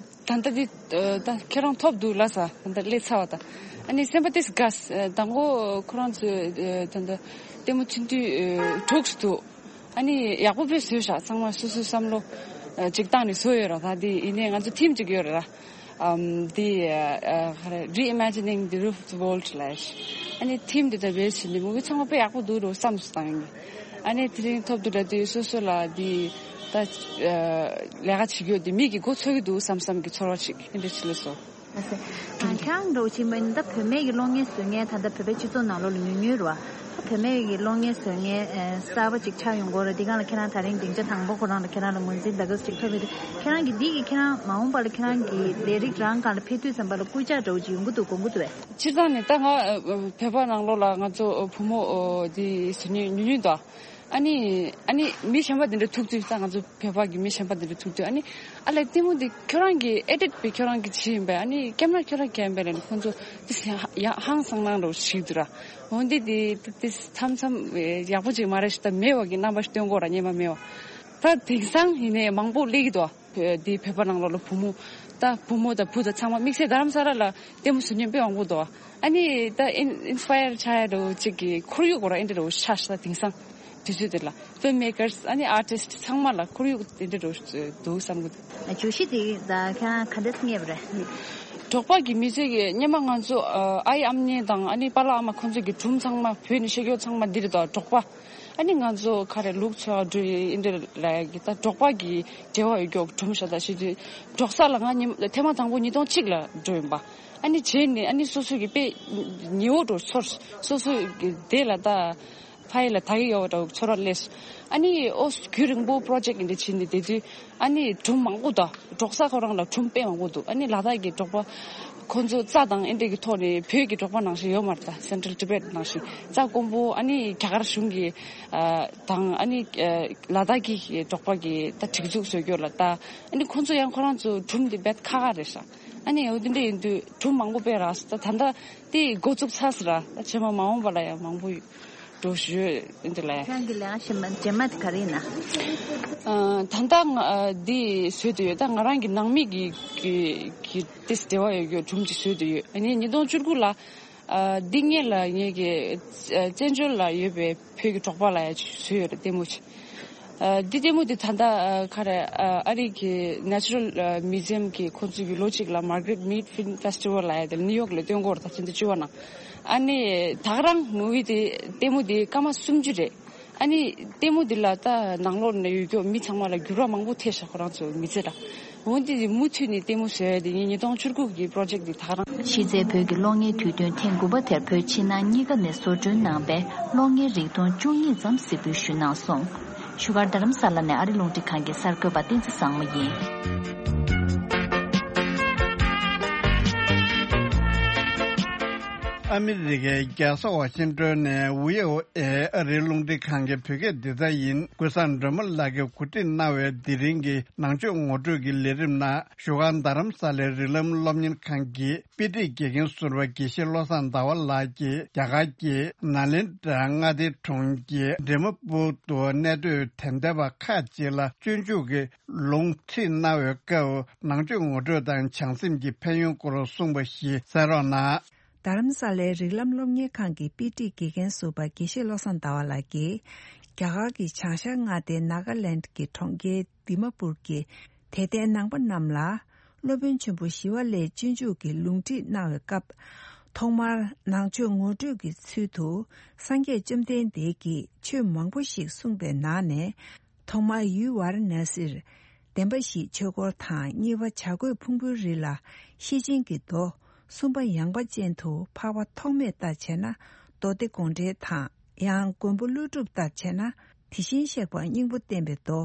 ད་ལྟ་འདི་ཨ་ད་ཁྱེད་རང་ཐོབ་འདུག་ལ་ས། ད་ལྟ་སླེབས་ཚར་བ་དང་། ཨ་ནི་སེམས་པ་ཏིས་དགའ་ས། ཨ་དང་པོ་ཁོ་རང་ཚོས་ཨ་ད་ལྟ་ལྟད་མོ་ཆེན་དུས་ཨ་དྲུག་འདུག་ཨ་ནི་ཡག་པོ་དཔེ་བཟོས་ཤག་ཚང་མ་སོ་སོའི་བསམ་བློ་ཨ་ཅིག་བཏང་ནས་བཟོས་ཡོད་ར། ད་འདི་ཡིན་ནའི་ང་ཚོ་ཐིམ་ཅིག་ཡོད་ར། ཨམ་འདི་ཨ་ཨ་ག་རེ་Reimagining the Roof of the World ལབ་ཡ་ཞིག་ཨ་ནི་ཐིམ་འདི་ད་བེས་བྱས་ནས་མུ་གི་ཚང་མ་དཔེ་ཡག་པོ་འདུག་རོ་བསམ་སོང་ད་ཡིན། ཨ་ནི་དེ་རིང་ཐོབ་འདུག་ལ་དུས་སོ་སོ་ལ་འདི་ད་ཨ་ལས་ཀ་བྱེད་རྒྱུ་འདི་མིག་གིས་མགོ་འཚོས་ཀྱི་འདུག་བསམ་བསམ་གྱི་ཚོར་བ་ཞིག་ཨེ་འདྲ་ཞིག་སླེབས་སོང་། ཨ་ཟེ། ཨ་ཁྱེད་རང་འདྲ་བོ་ཅིག་མ་ཡིན་ད་བུད་མེད་ཀྱི་གློག་བརྙན་བཟོ་མཁན་ད་ལྟ་བོད་པའི་སྤྱི་ཚོགས་ནང་ལོགས་ལ་ཉུང་ཉུང་རེད་བ། ད་བུད་མེད་ཀྱི་གློག་བརྙན་བཟོ་མཁན་ཨ་གསར་པ་ཅིག་ཆགས་ཡོང་གི་ཡོད་རེད། འདི་སྒང་ལ་ཁྱེད་རང་ད་རིང་སྡིངས་ཆ་དང་པོ་ཁོ་རང་ལ་ཁྱེད་རང་ལ་ངོས་འཛིན་ད་ག་ཟེ་ཅིག་ཐོབ་ཡོད་དུས། ཁྱེད་རང་གིས་འདི་གི་ཁྱེད་རང་མ་འོངས་པ་ལ་ཁྱེད་རང་གི་ལས་རིགས་རང་སྒང་ལ་ཕེབས་དུས་ཙམ་པ་ལ་སྐུལ་ལྕག་འདྲ་བོ་ཅིག་ཡོང་གི་འདུག་དགོངས་ཀྱི་འདུག་བས། སྤྱིར་བཏང་ནས་ད་ང་ཨ་བོད་པ་ནང་ལོགས་ལ་ང་ཚོ་བུ་མོ་ཨ་འདི་བཟོ་མཁན་ཉུང་ཉུང་འདུག་ཨ་ནི་ཨ་ནི་མི་གཞན་པ་འདི་འདྲ་ཐུག་དུས་ད་ང་ཚོ་བོད་པ་གི་མི་གཞན་པ་འདི་འདྲ་ཐུག་དུས། ཨ་ནི་ཨ་ལས་ལྟད་མོ་འདི་ཁྱོད་རང་གི་ཨེ་ཌིཊ་པས་ཁྱོད་རང་གི་བྱས་ཡིན་པས། ཨ་ནི་ཀེམ་ར་ཁྱོད་རང་གི་ཡིན་པས་ལབ་ནས་ཁོང་ཚོ་ཏིས་ཡང་ཧང་སང་སྣང་འདྲ་བོ་ཞིག་འདུག་ར། འོན་ཏེ་འདི་ཏིས་མཚམས་མཚམས་ཡག་པོ་ཅིག་མ་རེད་ཤག་ད་མེད་པ་གི་རྣམ་པ་ཞིག་སྟོན་གོ་ར། སྙན་པ་མེད་པ། ད་དེང་སང་ཡིན་ནའི་མང་པོ་སླེབས་ཀྱི་འདུག་འདི་བོད་པ་ནང་ལོགས་ལ་བུ་མོ། ད་བུ་མོ་དང་བུ་དང་ཚང་མ་དམིགས་བསལ་རྡ་རམ་ས་ལ་ལ་ལྟད་མོ་བཟོ་མཁན་དཔེ་མང་པོ་འདུག་ཨ་ནི་ད་ཨིན་ཨིན་སི་པ་ཡར་ཆགས་ཡ་འདྲ་བོ་ཅིག་གི་ཁོར་ཡུག་གོ་ར་ཨེ་འདྲ་འདྲ་བོ་ཤ་ཤ་ད་དེང་སང་དུས་ཚོད་དེ་ལ་ཕིལམ་མེ་ཀར་སི་ཨ་ནི་ཨར་ཊིསི་ཊི་ཚང་མ་ལ་ཁོར་ཡུག་དེ་འདྲ་འདྲ་བོ་འདུག་བསམ་གི་འདུག་བརྗོད་གཞི་དེ་ད་ཁྱེད་རང་ག་འདྲས་རྙེད་པ་རེད། འབྲོག་པ་གི་མི་ཚོས་ཀྱི་སྔོན་མ་ང་ཚོ་ཨ་ཨའི་ཨམ་ཉེ་དང་ཨ་ནི་པཱ་ལགས་ཨ་མ་ཁོང་ཚོ་གི་སྒྲུང་ཚང་མ་བོད་ནས་བཤད་རྒྱུ་ཚང་མ་འདི་རེད་དོ། འབྲོག་པ། ཨ་ནི་ང་ཚོ་ག་རེ་ལུག་འཚོ་བ་འགྲོ་ཡི་ཨིན་འདྲ་ལ་ཡ་གི་ད་འབྲོག་པ་གི་འབྲེལ་བ་ཡོད་རྒྱུ་སྒྲུང་ཤ་སྟག་ཞིག་དུས། འབྲོག་ས་ལ་ང་ཉི་ཐེངས་མ་དང་པོ་ཉིས་སྟོང་གཅིག་ལ་འགྲོ་ཡིན་པ། ཨ་ནི་བྱས་ནས་ཨ་ནི་སོ་སོ་གི་དཔེ་ཉེ་བོ་འདྲ་ཚོར། སོ་སོ་གི་དེ་ལ་ད་ཕ་ཡུལ་ལ་ད་གི་ཡོད་པ་འདྲ་ཚོར་བ་སླེབས་སོང་། ཨ་ནི་ཨོ་རྒྱུན་རིང་པོ་པྲོ་ཇེཀ་འདི་བྱས་ནས་བསྡད་དུས། ཨ་ནི་སྒྲུང་མང་པོ་དང་འབྲོག་ས་ཁོ་རང་ལ་སྒྲུང་དཔེ་མང་པོ་འདུག་ཨ་ནི་ལ་དྭགས་ཀྱི་འབྲོག་པ་ཁོ་ཚོ་རྩྭ་དང་ཨེ་འདྲ་གི་ཐོག་ནས་བོད་ཀྱི་འབྲོག་པ་ནང་བཞིན་ཡོད་མ་རེད། ད་སེན་ཊྲལ་ཊི་བེཊ་ནང་བཞིན་རྩྭ་དཀོན་པོ། ཨ་ནི་རྒྱ་གར་གཞུང་གི་ཨ་དང་ཨ་ནི་ཨ་ལ་དྭགས་ཀྱི་འབྲོག་པ་གི་ད་སྒྲིག་འཛུགས་བཟོ་རྒྱུ་ལ་ད་ཨ་ནི་ཁོ་ཚོ་ཡང་ཁོ་རང་ཚོ་སྒྲུང་དེ་རྦད་ཁག་ཁག་རེད་ཤག་ཨ་ནི་འོ་དེ་འདྲ་ཡིན་དུས་སྒྲུང་མང་པོ་དཔེ་རག་སོང་། ད་ད་ལྟ་དེ་འགོ་བཙུགས་ཚར་སོང་ར། ད་རྗེས་མ་མ་འོངས་པ་ལ་ཡང་མང་པོ་ཡོད། འགྲོ་ཞུ་ཡོད་འདི་ལ། ཁྱེད་རང་གི་ལས་ཀ་རྗེས་མ་རྗེས་མ་དེ་ག་རེ་ཡིན་ན། ཨ་ད་ལྟ་ང་ཨ་འདི་བཟོས་བསྡད་ཡོད། ད་ང་རང་གི་ནང་མི་གི་གི་གི་ཏིས་འབྲེལ་བ་ཡོད་རྒྱུ་སྒྲུང་ཅིག་བཟོས་བསྡད་ཡོད། ཨ་ནི་ཉིས་སྟོང་བཅུ་དགུ་ལ་ཨ་འདི་སྔོན་ལ་ངེད་ཀྱི་ཨ་བཙན་བྱོལ་ལ་ཡོད་པའི་བོད་ཀྱི་འབྲོག་པ་ལ་ཡ་བཟོས་ཡོད་རེད་ལྟད་མོ་ཅིག་ཨ་འདི་ལྟད་མོ་འདི་ད་ལྟ་ཨ་ག་རེ་ཨ་ཨ་རི་གི་Natural ཨ་Museum གི་ཁོ་ཚོ་གི་ལོ་གཅིག་ལ་Margrit Mead Film Festival ལབ་ཡ་དེ་ནིའུ་ཡོག་ལ་སྟོན་གྱི་ཡོད་རེད། ད་ཕྱི་ཟླ་བཅུ་པ་ནང་། ཨ་ནི་ད་ག་རང་མུ་བི་དེ་ལྟད་མོ་དེ་སྐར་མ་སུམ་ཅུ་རེད། ཨ་ནི་ལྟད་མོ་འདི་ལ་ད་ནང་ལོགས་ནས་ཡོད་རྒྱུ་མི་ཚང་མ་ལ་འགྱུར་བ་མང་པོ་ཐེབས་ཤག་ཁོ་རང་ཚོའི་མི་ཚེ་ལ། འོན་ཏེ་མུ་མཐུད་ནས་ལྟད་མོ་བཟོ་ཡ་དེ་ངས་ཉིས་སྟོང་བཅུ་དགུ་གི་པྲོ་ཇེཀ་འདི་ད་ག་རང་། གཞི་རྩའི་བོད་ཀྱི་གློག་བརྙན་དུས་སྟོན་ཐེངས་དགུ་པ་དེར་བོད་ཕྱི་ནང་གཉིས་ཀ་ནས་བཟོ་སྐྲུན་གནང་པའི་གློག་བརྙན་རིགས་ཐོན་བཅུ་གཉིས་ཙམ་གཟིགས་འབུལ་ཞུས་གནང་སོང་། བཞུགས་སྒར་རྡ་རམ་ས་ལ་ནས་ཨ་རི་རླུང་འཕྲིན་ཁང་གི་གསར་འགོད་པ་བསྟན་འཛིན་བཟང་མོ་ཡིན། ཨ་མི་རི་ཀའི་རྒྱལ་ས་ཝ་ཤིང་ཏོན་ནས་བྷི་ཨོ་ཨེ་ཨ་རིའི་རླུང་འཕྲིན་ཁང་གི་བོད་སྐད་སྡེ་ཚན་ཡིན། ཀུན་བཟང་སྒྲོལ་མ་ལགས་ཀྱིས་གོ་སྒྲིག་གནང་བའི་དེ་རིང་གི་ནང་ཆོས་ངོ་སྤྲོད་ཀྱི་ལས་རིམ་ནང་བཞུགས་སྒར་རྡ་རམ་ས་ལའི་རིགས་ལམ་སློབ་གཉེར་ཁང་གི་དཔེ་ཁྲིད་དགེ་རྒན་ཟུར་པ་དགེ་བཤེས་བློ་བཟང་ཟླ་བ་ལགས་ཀྱིས་རྒྱ་གར་གྱི་ནཱ་ལེནྡྲ་མངའ་སྡེ་གྲོང་ཁྱེར་འབྲས་མོ་པུར་དུ་གནས་སྡོད་དད་ལྡན་པ་ཁག་ཅིག་ལ་སྤྱོད་འཇུག་གི་ལུང་ཁྲིད་གནང་བའི་སྐབས། ནང་ཆོས་ངོ་སྤྲོད་དང་བྱང་སེམས་ཀྱི་ཕན་ཡོན་སྐོར་གསུངས་པ་ཞིག་གསན་རོགས་གནང་། རྡ་རམ་ས་ལའི་རིགས་ལམ་སློབ་གཉེར་ཁང་གི་དཔེ་ཁྲིད་དགེ་རྒན་ཟུར་པ་དགེ་བཤེས་བློ་བཟང་ཟླ་བ་ལགས་ཀྱིས། རྒྱ་གར་གྱི་བྱང་ཤར་མངའ་སྡེ་ནཱ་ག་ལེནཌ་ཀྱི་གྲོང་ཁྱེར་དི་མ་པུར་གྱི་དད་ལྡན་ནང་པ་རྣམས་ལ། སློབ་དཔོན་ཆེན་པོ་ཞི་བ་ལྷས་སྤྱོད་འཇུག་གི་ལུང་ཁྲིད་གནང་བའི་སྐབས། ཐོག་མར་ནང་ཆོས་ངོ་སྤྲོད་ཀྱི་ཚུལ་དུ། སངས་རྒྱས་བཅོམ་ལྡན་འདས་ཀྱིས་ཆོས་མང་པོ་ཞིག་གསུངས་པའི་ནང་ནས། ཐོག་མར་ཡུལ་ཝཱ་ར་ཎ་སིར་བདེན་པ་བཞིའི་ཆོས་འཁོར་དང་། གཉིས་པ་བྱ་རྒོད་ཕུང་པོའི་རི་ལ་ཤེར་ཕྱིན་གྱི་མདོ། གསུམ་པ་ཡངས་པ་ཅན་དུ་འཕགས་པ་ཐོགས་མེད་ལྟར་བྱས་ན་མདོ་སྡེ་དགོངས་འགྲེལ་དང་། ཡང་མགོན་པོ་ཀླུ་སྒྲུབ་ལྟར་བྱས་ན་དེ་བཞིན་གཤེགས་པ་སྙིང་པོ་བསྟན་པའི་མདོ།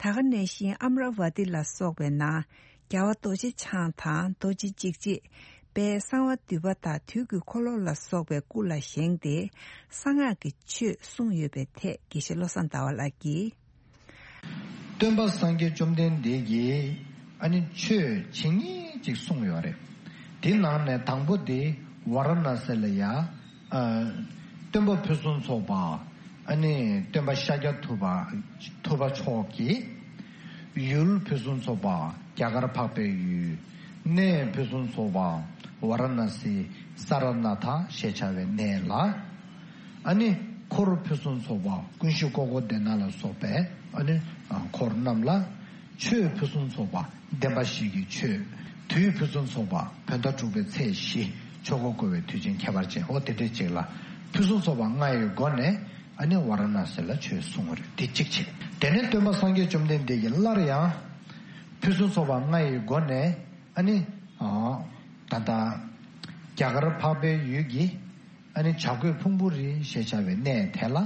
ད་ག་ནང་བཞིན་ཨམ་ར་ཝ་ཏི་ལ་སོགས་པའི་ནང་རྒྱལ་བ་རྡོ་རྗེ་འཆང་དང་རྡོ་རྗེ་འཇིགས་བྱེད། དཔལ་གསང་བ་འདུས་པ་དང་དུས་ཀྱི་འཁོར་ལོ་ལ་སོགས་པའི་སྐུ་ལ་བཞེངས་ཏེ་གསང་སྔགས་ཀྱི་ཆོས་གསུངས་ཡོད་པའི་ཐད་དགེ་བཤེས་བློ་བཟང་ཟླ་བ་ལགས་ཀྱིས། སྟོན་པ་སངས་རྒྱས་བཅོམ་ལྡན་འདས་ཀྱིས་ཨ་ནི་ཆོས་ཇི་སྙེད་ཅིག་གསུངས་ཡོད་རེད། དེ་ནང་ནས་དང་པོ་དེ་ཝཱ་ར་ཎ་སི་ལ་ཡ། ཨ། སྟོན་པ་ཕུན་སུམ་ཚོགས་པ། ཨ་ནི་སྟོན་པ་ཤཱཀྱ་ཐུབ་པ། ཐུབ་པ་མཆོག་གིས་ཡུལ་ཕུན་སུམ་ཚོགས་པ་རྒྱ་གར་འཕགས་པའི་ཡུལ། གནས་ཕུན་སུམ་ཚོགས་པ་ཝཱ་ར་ཎ་སི་ས་ར་ནཱ་ཐ་ཞེས་བྱ་བའི་གནས་ལ། ཨ་ནི་འཁོར་ཕུན་སུམ་ཚོགས་པ་ཀུན་གཞི་ཀོ་ཀོ་དེ་ན་ལ་སོགས་པའི་ཨ་ནི་འཁོར་རྣམས་ལ། ཆོས་ཕུན་སུམ་ཚོགས་པ་བདེན་པ་བཞི་གི་ཆོས། དུས་ཕུན་སུམ་ཚོགས་པ་བོད་ཟླ་དྲུག་པའི་ཚེས་བཞི་ཆོས་འཁོར་བསྐོར་བའི་དུས་ཆེན་ཁྱད་པར་ཅན། འོ་དེ་འདྲས་ཅིག་ལ་ཕུན་སུམ་ཚོགས་པ་ལྔ་ཡི་སྒོ་ནས་ཨ་ནི་ཝཱ་ར་ཎ་སི་ལ་ཆོས་གསུངས་པ་རེད། དེ་གཅིག་བྱས། དེ་ནས་སྟོན་པ་སངས་རྒྱས་བཅོམ་ལྡན་འདས་ཀྱིས་སླར་ཡང་ཕུན་སུམ་ཚོགས་པ་ལྔ་ཡི་སྒོ་ནས་ཨ་ནི་ད་ལྟ་རྒྱ་གར་འཕགས་པའི་ཡུལ་གྱི་ཨ་ནི་བྱ་རྒོད་ཕུང་པོའི་རི་ཞེས་བྱ་བའི་གནས་དེ་ལ་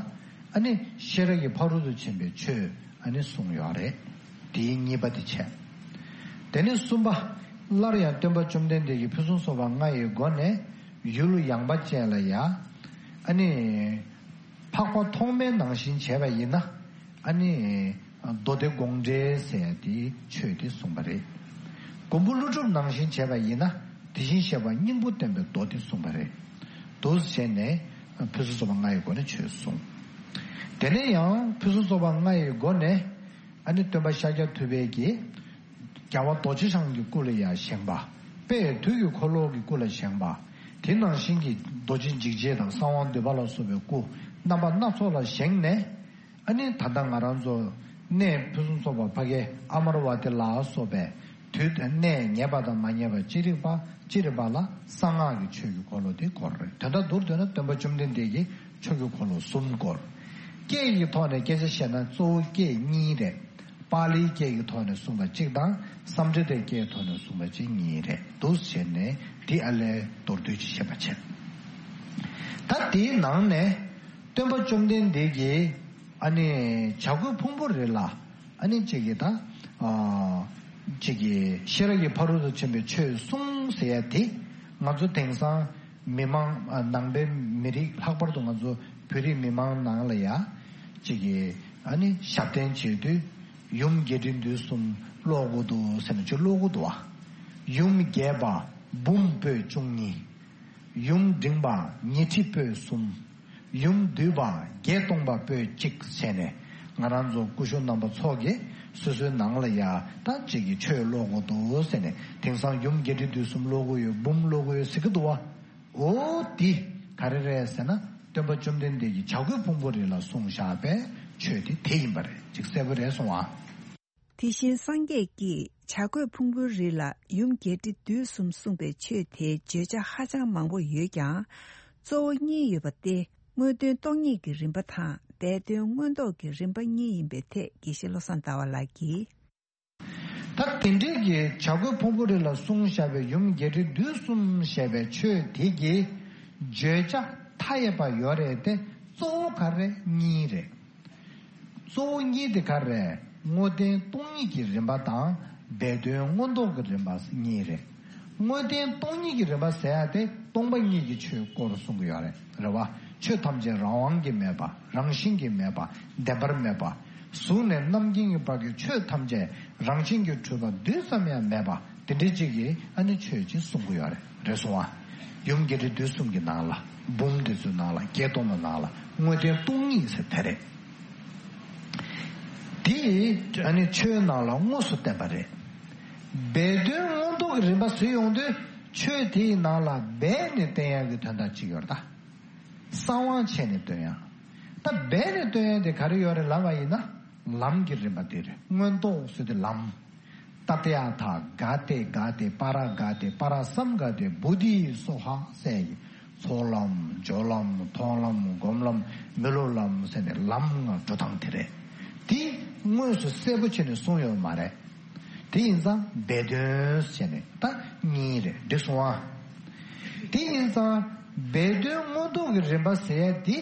ཨ་ནི་ཤེས་རབ་ཀྱི་ཕ་རོལ་ཏུ་ཕྱིན་པའི་ཆོས་ཨ་ནི་གསུངས་ཡོད་རེད། དེའི་གཉིས་པ་དེ་བྱས། དེ་ནས་གསུམ་པ། སླར་ཡང་སྟོན་པ་བཅོམ་ལྡན་འདས་ཀྱིས་ཕུན་སུམ་ཚོགས་པ་ལྔ་ཡི་སྒོ་ནས་ཡུལ་ཡངས་པ་ཅན་ལ་ཡ། ཨ་ནི། འཕགས་པ་ཐོགས་མེད་ནང་བཞིན་བྱས་པ་ཡིན་ན། ཨ་ནི། མདོ་སྡེ་དགོངས་འགྲེལ་ཟེར་ཡ་དེའི་ཆོས་དེ་གསུངས་པ་རེད། མགོན་པོ་ཀླུ་སྒྲུབ་ནང་བཞིན་བྱས་པ་ཡིན་ན་དེ་བཞིན་གཤེགས་པ་སྙིང་པོ་བསྟན་པའི་མདོ་དེ་གསུངས་པ་རེད། འདུག་སེ་བྱས་ནས་ཕུན་སུམ་ཚོགས་པ་ལྔ་ཡི་སྒོ་ནས་ཆོས་གསུངས། དེ་ནས་ཡང་ཕུན་སུམ་ཚོགས་པ་ལྔ་ཡི་སྒོ་ནས་ཨ་ནི་སྟོན་པ་ཤཱཀྱ་ཐུབ་པའི་གི་རྒྱལ་བ་རྡོ་རྗེ་འཆང་གི་སྐུ་ལ་ཡང་བཞེངས་པ། དཔལ་དུས་ཀྱི་འཁོར་ལོ་གི་སྐུ་ལ་བཞེངས་པ། དེ་ནང་བཞིན་གྱི་རྡོ་རྗེ་འཇིགས་བྱེད་དང་གསང་བ་འདུས་པ་ལ་སོགས་པའི་སྐུ་རྣམ་པ་སྣ་ཚོགས་ལ་བཞེངས་ནས། ཨ་ནི་ད་ལྟ་ང་རང་ཚོ་གནས་ཕུན་སུམ་ཚོགས་པ་ཕ་གའི་ཨ་མ་ར་ཝ་ཏི་ལ་སོགས་པའི་དུས་དང་གནས་ངེས་པ་དང་མ་ངེས་པ་ཅི་རིགས་པ་ཅི་རིགས་པ་ལ་གསང་སྔགས་ཀྱི་ཆོས་ཀྱི་འཁོར་ལོ་དེ་བསྐོར་རེད། དོན་དག་མདོར་བསྡུས་ན་སྟོན་པ་བཅོམ་ལྡན་འདས་ཀྱིས་ཆོས་ཀྱི་འཁོར་ལོ་གསུམ་བསྐོར། སྐད་ཀྱི་ཐོག་ནས་སྐད་ཆ་བཤད་ན་གཙོ་བོ་སྐད་གཉིས་རེད། པཱ་ལིའི་སྐད་ཀྱི་ཐོག་ནས་གསུངས་པ་གཅིག་དང་སཾ་སྐྲྀ་ཏའི་སྐད་ཀྱི་ཐོག་ནས་གསུངས་པ་གཅིག་གཉིས་རེད། འདུག་སེ་བྱས་ནས་འདི་ཨ་ལས་མདོར་བསྡུས་ཅིག་བཤད་པ་བྱས། ད་དེའི་ནང་ནས་སྟོན་པ་བཅོམ་ལྡན་འདས་ཀྱིས་ཨ་ནི་བྱ་རྒོད་ཕུང་པོའི་རི་ལ་ཨ་ནི་གཅིག་གིས་ད་ཨ་གཅིག་གིས་ཤེས་རབ་ཀྱི་ཕ་རོལ་ཏུ་ཕྱིན་པའི་ཆོས་གསུངས་ཟེར་ཡ་དེ་ང་ཚོ་དེང་སང་མི་མང་ཨ་ནང་པའི་མི་རིགས་ལྷག་པར་དུ་ང་ཚོ་བོད་རིགས་མི་མང་ནང་ལ་ཡ་གཅིག་གིས་ཨ་ནི་ཞབས་བརྟན་བྱེད་དུས་ཡུམ་བརྒྱད་ཁྲི་བདུན་གསུམ་ཀློག་དགོས་འདུག་ཟེར་ནས་ཅིག་ཀློག་གི་འདུག་བ། ཡུམ་རྒྱས་པ་འབུམ་པོད་བཅུ་གཉིས། ཡུམ་འབྲིང་པ་ཉི་ཁྲི་པོད་གསུམ། ཡུམ་བསྡུས་པ་བརྒྱད་སྟོང་པ་པོད་གཅིག་བྱས་ནས་ང་རང་ཚོ་སྐུ་ཞབས་རྣམ་པ་ཚོ་གིས་སོ་སོའི་ནང་ལ་ཡ་ད་གཅིག་གིས་ཆོས་ཀློག་དགོས་འདུག་ཟེར་ནས་དེང་སང་ཡུམ་བརྒྱད་ཁྲི་བདུན་གསུམ་ཀློག་གི་ཡོད། འབུམ་ཀློག་གི་ཡོད་ཟེར་གི་འདུག་བ། འོ་འདི་ག་རེ་རེད་ཟེར་ན་སྟོན་པ་བཅོམ་ལྡན་འདས་ཀྱིས་བྱ་རྒོད་ཕུང་པོའི་རི་ལ་གསུངས་བཞག་པའི་ཆོས་དེ་དེ་ཡིན་པ་རེད། ཅིག་གསལ་པོ་རེད་སོང་བ། དེ་བཞིན་སངས་རྒྱས་ཀྱིས་བྱ་རྒོད་ཕུང་པོའི་རི་ལ་ཡུམ་བརྒྱད་ཁྲི་བདུན་གསུམ་གསུངས་པའི་ཆོས་དེའི་བརྗོད་བྱ་ཧ་ཅང་མང་པོ་ཡོད་ཀྱང་། གཙོ་བོ་གཉིས་ཡོད་པ་སྟེ། དངོས་དོན་སྟོང་ཉིད་ཀྱི་རིམ་པ་དང་སྦས་དོན་མངོན་རྟོགས་ཀྱི་རིམ་པ་གཉིས་ཡིན་པའི་ཐད་དགེ་བཤེས་བློ་བཟང་ཟླ་བ་ལགས་ཀྱིས། ད་དེ་འདྲའི་གི་བྱ་རྒོད་ཕུང་པོའི་རི་ལ་གསུངས་བཞག་པའི་ཡུམ་བརྒྱད་ཁྲི་བདུན་གསུམ་ཞེས་པའི་ཆོས་དེ་གི་བརྗོད་བྱ་མཐའ་ཡས་པ་ཡོད་རེད་དེ། གཙོ་བོ་ག་རེ་གཉིས་རེད། གཙོ་བོ་གཉིས་དེ་ག་རེ་རེད། དངོས་བསྟན་སྟོང་ཉིད་ཀྱི་རིམ་པ་དང་སྦས་དོན་མངོན་རྟོགས་ཀྱི་རིམ་པ་གཉིས་རེད། དངོས་བསྟན་སྟོང་ཉིད་ཀྱི་རིམ་པ་ཟེར་ཡ་དེ་སྟོང་པ་ཉིད་ཀྱི་ཆོས་སྐོར་གསུང་གི་ཡོད་རེད། རེད་བ། ཆོས་ཐམས་ཅད་རང་དབང་གིས་མེད་པ། རང་བཞིན་གྱིས་མེད་པ། བདེན་པར་མེད་པ། གཟུགས་ནས་རྣམ་མཁྱེན་གྱི་བར་གྱི་ཆོས་ཐམས་ཅད་རང་བཞིན་གྱིས་གྲུབ་པ་རྡུལ་ཙམ་ཡང་མེད་པ། དེ་འདྲའི་ཅིག་གི་ཨ་ནི་ཆོས་ཅིག་གསུང་གི་ཡོད་རེད། རེད་སོང་བ། ཡུམ་རྒྱས་འབྲིང་བསྡུས་གསུམ་གྱི་ནང་ལ། འབུམ་དེ་ཚོའི་ནང་ལ། བརྒྱད་སྟོང་གི་ནང་ལ་དངོས་བསྟན་སྟོང་ཉིད་ཟེར་དེ་རེད། དེ་ཨ་ནི་ཆོས་ནང་ལ་དངོས་སུ་བསྟན་པ་རེད། སྦས་དོན་མངོན་རྟོགས་ཀྱི་རིམ་པ་ཟེར་ཡོང་དུས། ཆོས་དེའི་ནང་ལ་སྦས་ནས་བསྟན་ཡག་གི་དོན་དག་ཅིག་ཡོད་རེད་ད། གསང་དབང་བྱས་ནས་སྟོན་ཡག་ད་སྦས་ནས་སྟོན་ཡག་དེ་ག་རེ་ཡོད་རེད་ལབ་པ་ཡིན་ན། ལམ་གྱི་རིམ་པ་དེ་རེད། མངོན་རྟོགས་ཟེར་དུས་ལམ། ཏདྱ་ཐཱ་ག་ཏེ་ག་ཏེ་པཱ་ར་ག་ཏེ་པཱ་ར་སཾ་ག་ཏེ་བོ་དྷི་སྭཱ་ཧཱ་ཟེར་གྱི། ཚོགས་ལམ། སྦྱོར་ལམ། མཐོང་ལམ། སྒོམ་ལམ། མི་སློབ་ལམ་ཟེར་ནས་ལམ་ལྔ་འགྲོ་སྟངས་དེ་རེད། དེ་དངོས་སུ་གསལ་པོ་བྱས་ནས་གསུངས་ཡོད་མ་རེད། དེ་ཡིན་ཙང་སྦས་དོན་བྱས་ནས་ད་གཉིས་རེད། འགྲིག་སོང་ཨ། དེ་ཡིན་ཙང་སྦས་དོན་མངོན་རྟོགས་ཀྱི་རིམ་པ་ཟེར་ཡ་དེ།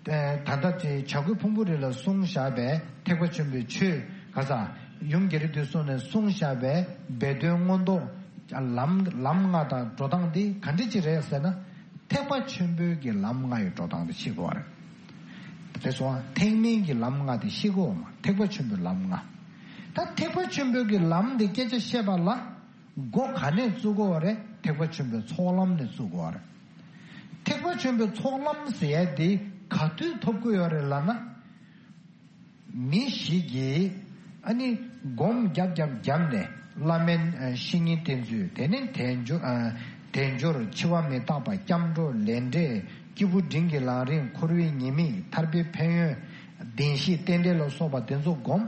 ད་ལྟ་དེ་བྱ་རྒོད་ཕུང་པོའི་རི་ལ་གསུངས་བཞག་པའི་ཐེག་པ་ཆེན་པོའི་ཆོས་ག་ས། ཡུམ་རྒྱས་འབྲིང་བསྡུས་གསུམ་ནས་གསུངས་བཞག་པའི་སྦས་དོན་མངོན་རྟོགས་ལམ། ལམ་ལྔ་དང་འགྲོ་སྟངས་འདི་ག་འདྲ་ཅིག་རེད་ཟེར་ན། ཐེག་པ་ཆེན་པོའི་གི་ལམ་ལྔ་ཡི་འགྲོ་སྟངས་འདི་ཤེས་དགོས་པ་རེད། དེ་སོང་ཐེག་དམན་གྱི་ལམ་ལྔ་དེ་ཤེས་དགོས་པ་མ། ཐེག་པ་ཆེན་པོའི་ལམ་ལྔ། ད་ཐེག་པ་ཆེན་པོའི་གི་ལམ་འདི་སྐད་ཆ་བཤད་པ་ལ། སྒོ་ག་ནས་བཙུགས་དགོས་པ་རེད། ཐེག་པ་ཆེན་པོའི་ཚོགས་ལམ་ནས་བཙུགས་དགོས་པ་རེད། ཐེག་པ་ཆེན་པོའི་ཚོགས་ལམ་ཟེར་ཡ་དེ་ག་དུས་ཐོབ་ཀྱི་ཡོད་རེད་ལབ་ན། མི་ཞིག་གིས་ཨ་ནི་སྒོམ་རྒྱབ་རྒྱབ་བརྒྱབ་ནས། བླ་མའི་ཨ་བཤེས་གཉེན་བསྟེན་ཚུལ། དེ་ནས་དལ་འབྱོར། ཨ་དལ་འབྱོར། འཆི་བ་མི་རྟག་པ། སྐྱབས་འགྲོ། ལས་འབྲས། སྐྱེས་བུ་འབྲིང་གི་ལམ་རིམ། འཁོར་བའི་ཉེས་དམིགས། ཐར་པའི་ཕན་ཡོན། བདེན་བཞི་རྟེན་འབྲེལ་ལ་སོགས་པ་དེ་ཚོ་སྒོམ།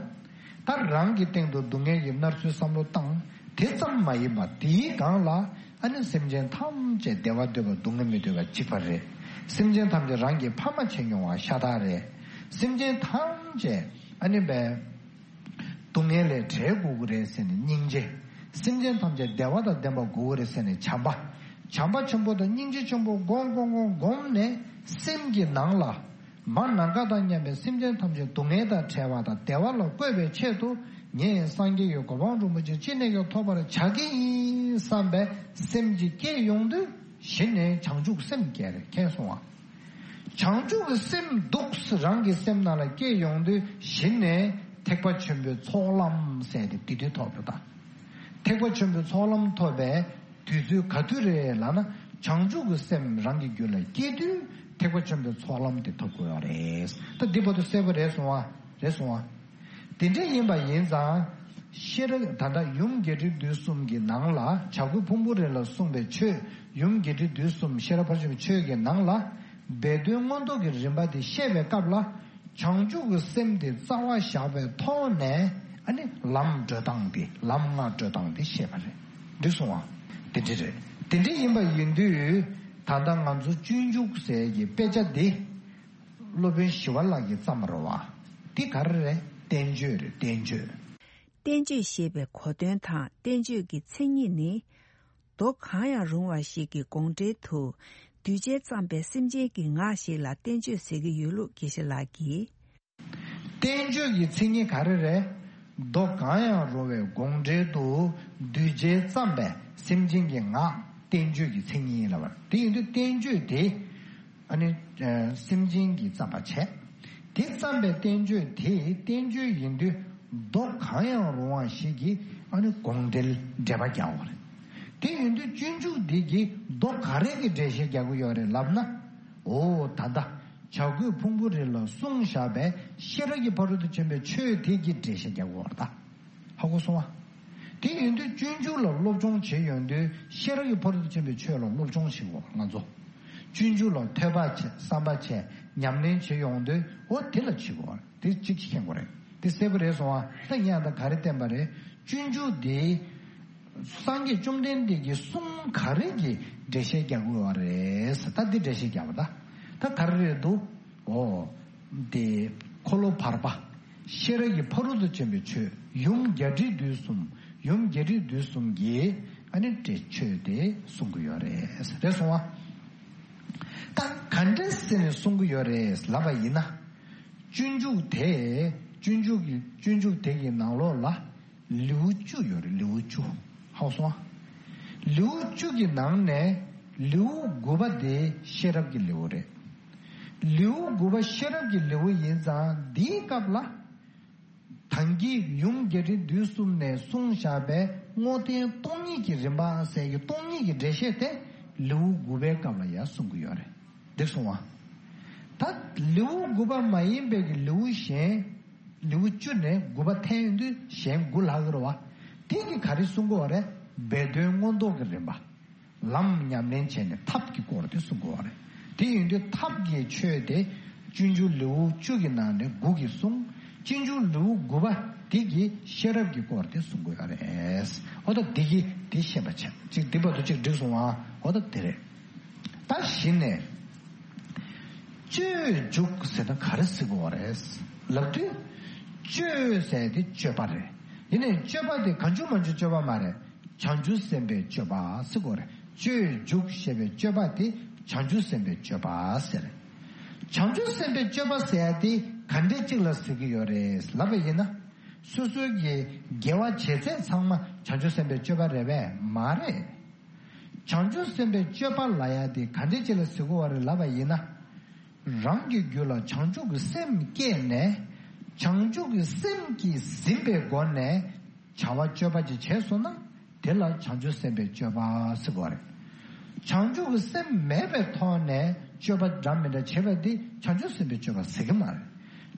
ད་རང་གི་སྟེང་དུ་སྡུག་བསྔལ་གྱི་མནར་ཚུལ་བསམ་བློ་བཏང་། དེ་ཙམ་མ་ཡིན་པར་དེའི་སྒང་ལ་ཨ་ནི་སེམས་ཅན་ཐམས་ཅད་བདེ་བ་འདོད་པ་སྡུག་བསྔལ་མི་འདོད་པ་གཅིག་པ་རེད། སེམས་ཅན་ཐམས་ཅད་རང་གི་ཕ་མ་བྱས་མྱོང་བ་ཤ་སྟག་རེད། སེམས་ཅན་ཐམས་ཅད་ཨ་ནི་བས་སྡུག་བསྔལ་ལས་བྲལ་དགོས་ཀྱི་རེད་ཟེར་ནས་སྙིང་རྗེ། སེམས་ཅན་ཐམས་ཅད་བདེ་བ་དང་ལྡན་པ་དགོས་ཀྱི་རེད་ཟེར་ནས་བྱམས་པ། བྱམས་པ་ཆེན་པོ་དང་སྙིང་རྗེ་ཆེན་པོ་སྒོམ་སྒོམ་སྒོམ་སྒོམ་ནས་སེམས་ཀྱི་ནང་ལ། མ་ནམ་མཁའ་དང་མཉམ་པའི་སེམས་ཅན་ཐམས་ཅད་སྡུག་བསྔལ་དང་བྲལ་བ་དང་བདེ་བ་ལ་བཀོད་པའི་ཆེད་དུ། ངས་སངས་རྒྱས་ཀྱི་གོ་འཕང་རིན་པོ་ཆེ་ཅི་ནས་ཀྱང་ཐོབ་པར་བྱ་གི་ཡིན་བསམ་པའི་སེམས་ཀྱི་སྐྱེ་ཡོང་དུས། གཞི་ནས་བྱང་ཆུབ་སེམས་སྐྱེ་རེད། མཁྱེན་སོང་ང་། བྱང་ཆུབ་ཀྱི་སེམས་འདུག་སེ་རང་གི་སེམས་ནང་ལ་སྐྱེ་ཡོང་དུས། གཞི་ནས་ཐེག་པ་ཆེན་པོའི་ཚོགས་ལམ་ཟེར་དེ་དེ་དུས་ཐོབ་ཡོད་ད། ཐེག་པ་ཆེན་པོའི་ཚོགས་ལམ་ཐོབ་པའི་དུས་ཚོད་ག་དུས་རེད་ལབ་ན། བྱང་ཆུབ་ཀྱི་སེམས་རང་གི་རྒྱུད་ལ་སྐྱེ་དུས་ཐེག་པ་ཆེན་པོའི་ཚོགས་ལམ་དེ་ཐོབ་དགོས་པ་རེད། ད་འདི་བར་དུ་གསལ་པོ་རེད་སོང་བ། རེད་སོང་བ། དེ་འདྲ་ཡིན་པ་ཡིན་ཙང་། ཤེས་རབ་ད་ལྟ་ཡུམ་རྒྱས་འབྲིང་བསྡུས་གསུམ་གྱི་ནང་ལ། བྱ་རྒོད་ཕུང་པོའི་རི་ལ་གསུངས་པའི་ཆོས། ཡུམ་རྒྱས་འབྲིང་བསྡུས་གསུམ་ཤེས་རབ་ཕར་ཕྱིན་པའི་ཆོས་ཀྱི་ནང་ལ། སྦས་དོན་མངོན་རྟོགས་ཀྱི་རིམ་པ་དེ་བཤད་པའི་སྐབས་ལ། བྱང་ཆུབ་ཀྱི་སེམས་དེ་རྩ་བ་བཞག་པའི་ཐོག་ནས། ཨ་ནི་ལམ་བགྲོད་སྟངས་དེ། ལམ་ལྔ་བགྲོད་སྟངས་དེ་བཤད་པ་རེད། འགྲིག་སོང་བ། དེ་འདྲ་རེད། དེ་འདྲ་ཡིན་པ་ཡིན་དུས། ད་ལྟ་ང་ཚོ་སྤྱོད་འཇུག་ཟེར་གྱི་དཔེ་ཆ་འདི། སློབ་དཔོན་ཞི་བ་ལྷ་གིས་བརྩམས་པ་རེད་བ། འདི་ག་རེ་རེད། བསྟན་བཅོས་རེད། བསྟན་བཅོས། བསྟན་བཅོས་ཞེས་པའི་གོ་དོན་དང་བསྟན་བཅོས་ཀྱི་མཚན་ཉིད་ནི། མདོ་གང་ཡང་རུང་བ་ཞིག་གི་དགོངས་འགྲེལ་དུ། གདུལ་བྱས་བརྩམས་པའི་སེམས་ཅན་གྱི་ངག་ཞིག་ལ་བསྟན་བཅོས་ཟེར་གྱི་ཡོད་ལུགས་དགེ་བཤེས་ལགས་ཀྱིས། བསྟན་བཅོས་ཀྱི་མཚན་ཉིད་ག་རེ་རེད། མདོ་གང་ཡང་རུང་བའི་དགོངས་འགྲེལ་དུ། གདུལ་བྱས་བརྩམས་པའི་སེམས་ཅན་གྱི་ངག་བསྟན་བཅོས་ཀྱི་མཚན་ཉིད་ལབ་པ་རེད། དེ་ཡིན་དུས་བསྟན་བཅོས་དེ། ཨ་ནི། ཨ། སེམས་ཅན་གྱིས་བརྩམས་པ་བྱས། དེ་བརྩམས་པའི་བསྟན་བཅོས་དེ་བསྟན་བཅོས་ཡིན་དུས་མདོ་གང་ཡང་རུང་བ་ཞིག་གིས་ཨ་ནི་དགོངས་འགྲེལ་འགྲེལ་པ་རྒྱག་པ་རེད། དེ་ཡིན་དུས་སྤྱོད་འཇུག་འདི་གིས་མདོ་ག་རེ་གི་འགྲེལ་བཤད་རྒྱག་གི་ཡོད་རེད་ལབ་ན། འོ་ད་ལྟ་བྱ་རྒོད་ཕུང་པོའི་རི་ལ་གསུངས་བཞག་པའི་ཤེས་རབ་ཀྱི་ཕ་རོལ་ཏུ་ཕྱིན་པའི་ཆོས་དེ་གི་འགྲེལ་བཤད་རྒྱག་གི་ཡོད་རེད་ད། ཧ་གོ་སོང་ཨ། དེ་ཡིན་དུས་སྤྱོད་འཇུག་ལ་སློབ་སྦྱོང་བྱེད་ཡོང་དུས་ཤེས་རབ་ཀྱི་ཕ་རོལ་ཏུ་ཕྱིན་པའི་ཆོས་ལ་སློབ་སྦྱོང་བྱེད་དགོས་ང་ཚོ། སྤྱོད་འཇུག་ལ་ཐོས་པ་བྱས། བསམ་པ་བྱས། ཉམས་ལེན་བྱེད་ཡོང་དུས་འོ་དེ་ལ་བྱེད་དགོས། དེ་གཅིག་གཅིག་མཁྱེན་དགོས་རེད། དེ་གསལ་པོ་རེད་སོང་ཨ། ད་ངས་ད་ག་རེ་བསྟན་པ་རེད། སྤྱོད་འཇུག་དེ། སངས་རྒྱས་བཅོམ་ལྡན་འདས་ཀྱིས་གསུང་ག་རེ་གི་འགྲེལ་བཤད་རྒྱག་དགོས་པ་རེད། ད་འདི་འགྲེལ་བཤད་རྒྱག་པ་ད། ད་ག་རེ་རེད་འདུག་འོ། དེ། འཁོར་ལོ་བར་པ། ཤེས་རབ་ཀྱི་ཕ་རོལ་ཏུ་ཕྱིན་པའི་ཆོས་ཡུམ་རྒྱས་འབྲིང་བསྡུས་གསུམ། ཡུམ་རྒྱས་འབྲིང་བསྡུས་གསུམ་གྱིས་ཨ་ནི་འགྲེལ་ཆོས་དེ་གསུང་གི་ཡོད་རེད། རེད་སོང་བ། ད་ག་འདྲ་ཟེར་ནས་གསུང་གི་ཡོད་རེད་ལབ་པ་ཡིན་ན། སྤྱོད་འཇུག་དེ། སྤྱོད་འཇུག་གི་སྤྱོད་འཇུག་དེ་གི་ནང་ལོགས་ལ། ལེའུ་བཅུ་ཡོད་རེད། ལེའུ་བཅུ། ཧ་གོ་སོང་ཨ། ལེའུ་བཅུ་གི་ནང་ནས་ལེའུ་དགུ་པ་དེ་ཤེས་རབ་ཀྱི་ལེའུ་རེད། ལེའུ་དགུ་པ་ཤེས་རབ་ཀྱི་ལེའུ་ཡིན་ཙང་འདིའི་སྐབས་ལ། ཐང་གི་ཡུམ་རྒྱས་འབྲིང་བསྡུས་གསུམ་ནས་གསུངས་བཞག་པའི་དངོས་བསྟན་སྟོང་ཉིད་ཀྱི་རིམ་པ་ཟེར་གྱི་སྟོང་ཉིད་ཀྱི་འགྲེལ་བཤད་དེ་ལེའུ་དགུ་པའི་སྐབས་ལ་ཡང་གསུང་གི་ཡོད་རེད། འགྲིག་སོང་བ། ད་ལེའུ་དགུ་པ་མ་ཡིན་པའི་གི་ལེའུ་གཞན། ལེའུ་བཅུ་ནས་དགུ་པ་འཐེན་ཡོང་དུས་གཞན་དགུ་ལྷག་གི་རེད་བ། དེ་གི་ག་རེ་གསུང་གི་ཡོད་རེད། སྦས་དོན་མངོན་རྟོགས་ཀྱི་རིམ་པ། ལམ་ཉམས་ལེན་བྱས་ནས་ཐབས་ཀྱི་སྐོར་དེ་གསུང་གི་ཡོད་རེད། དེ་ཡིན་དུས་ཐབས་ཀྱི་ཆོས་དེ་སྤྱོད་འཇུག་ལེའུ་བཅུ་གི་ནང་ནས་དགུ་གིས་གསུངས། སྤྱོད་འཇུག་ལེའུ་དགུ་པ་དེ་གིས་ཤེས་རབ་ཀྱི་སྐོར་དེ་གསུང་གི་ཡོད་རེད། འོ་ད་འདི་གིས་དེ་ཤེས་པ་བྱས། ཅིག་འདི་བར་དུ་ཅིག་འགྲིག་སོང་ཨ། འོ་ད་དེ་རེད། ད་གཞི་ནས་སྤྱོད་འཇུག་ཟེར་ན་ག་རེ་ཟེར་དགོས་པ་རེད་ལབ་དུས། སྤྱོད་ཟེར་དེ་སྤྱོད་པ་རེད། ཡིན་ནའི་སྤྱོད་པ་དེ་གང་བྱུང་མང་བྱུང་སྤྱོད་པ་མ་རེད། བྱང་ཆུབ་སེམས་དཔའི་སྤྱོད་པ་ཟེར་དགོས་རེད། སྤྱོད་འཇུག་ཞེས་པའི་སྤྱོད་པ་དེ་བྱང་ཆུབ་སེམས་དཔའི་སྤྱོད་པ་ཟེར། བྱང་ཆུབ་སེམས་དཔའི་སྤྱོད་པ་ཟེར་ཡ་དེ་ག་འདྲས་གཅིག་ལ་ཟེར་གྱི་ཡོད་རེད་ལབ་པ་ཡིན་ན། སོ་སོའི་གི་དགེ་བ་བྱས་ཚད་ཚང་མ་བྱང་ཆུབ་སེམས་དཔའི་སྤྱོད་པ་རེད་པས་མ་རེད། བྱང་ཆུབ་སེམས་དཔའི་སྤྱོད་པ་ལབ་ཡ་དེ་ག་འདྲས་ཅིག་ལ་ཟེར་གྱི་ཡོད་རེད་ལབ་པ་ཡིན་ན། རང་གི་རྒྱུད་ལ་བྱང་ཆུབ་ཀྱི་སེམས་སྐྱེས་ནས། བྱང་ཆུབ་ཀྱི་སེམས་ཀྱིས་ཟིན་པའི་སྒོ་ནས་བྱ་བ་སྤྱོད་པ་ཅིག་བྱས་སོང་ན། དེ་ལ་བྱང་ཆུབ་སེམས་དཔའི་སྤྱོད་པ་ཟེར་གྱི་ཡོད་རེད། བྱང་ཆུབ་ཀྱི་སེམས་མེད་པའི་ཐོག་ནས་སྤྱོད་པ་འདྲ་མི་འདྲ་བྱེད་པ་འདི་བྱང་ཆུབ་སེམས་དཔའི་སྤྱོད་པ་ཟེར་གྱི་མ་རེད།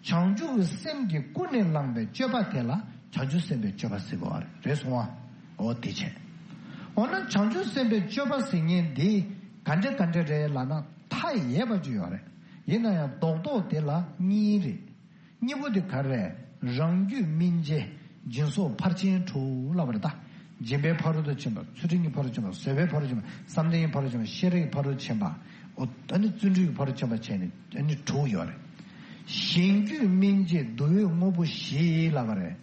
བྱང་ཆུབ་ཀྱི་སེམས་ཀྱིས་ཀུན་ནས་བསླངས་པའི་སྤྱོད་པ་དེ་ལ་བྱང་ཆུབ་སེམས་དཔའི་སྤྱོད་པ་ཟེར་གྱི་ཡོད་རེད། རེད་སོང་ཨ། འོ་དེ་བྱས། འོ་ན་བྱང་ཆུབ་སེམས་དཔའི་སྤྱོད་པ་ཟེར་མཁན་འདི་ག་འདྲ་ག་འདྲ་རེད་ལབ་ན་མཐའ་ཡས་པ་ཅིག་ཡོད་རེད། ཡིན་ན་ཡང་རྡོག་རྡོག་དེ་ལ་གཉིས་རེད། གཉིས་པོ་དེ་ག་རེ་རེད། རང་རྒྱུད་སྨིན་བྱེད་སྦྱིན་སོགས་ཕར་ཕྱིན་དྲུག་ལབ་པ་རེད་ད། སྦྱིན་པའི་ཕ་རོལ་ཏུ་ཕྱིན་པ། ཚུལ་ཁྲིམས་ཀྱི་ཕ་རོལ་ཏུ་ཕྱིན་པ། བཟོད་པའི་ཕ་རོལ་ཏུ་ཕྱིན་པ། བསམ་གཏན་གྱི་ཕ་རོལ་ཏུ་ཕྱིན་པ། ཤེས་རིག་གི་ཕ་རོལ་ཏུ་ཕྱིན་པ། འོ་ད་ནི་བརྩོན་འགྲུས་ཀྱི་ཕ་རོལ་ཏུ་ཕྱིན་པ་བྱས་ནས་ཨ་ནི་དྲུག་ཡོད་རེད། གཞན་རྒྱུད་སྨིན་བྱེད་བསྡུ་བའི་དངོས་པོ་བཞི་ལབ་པ་རེད།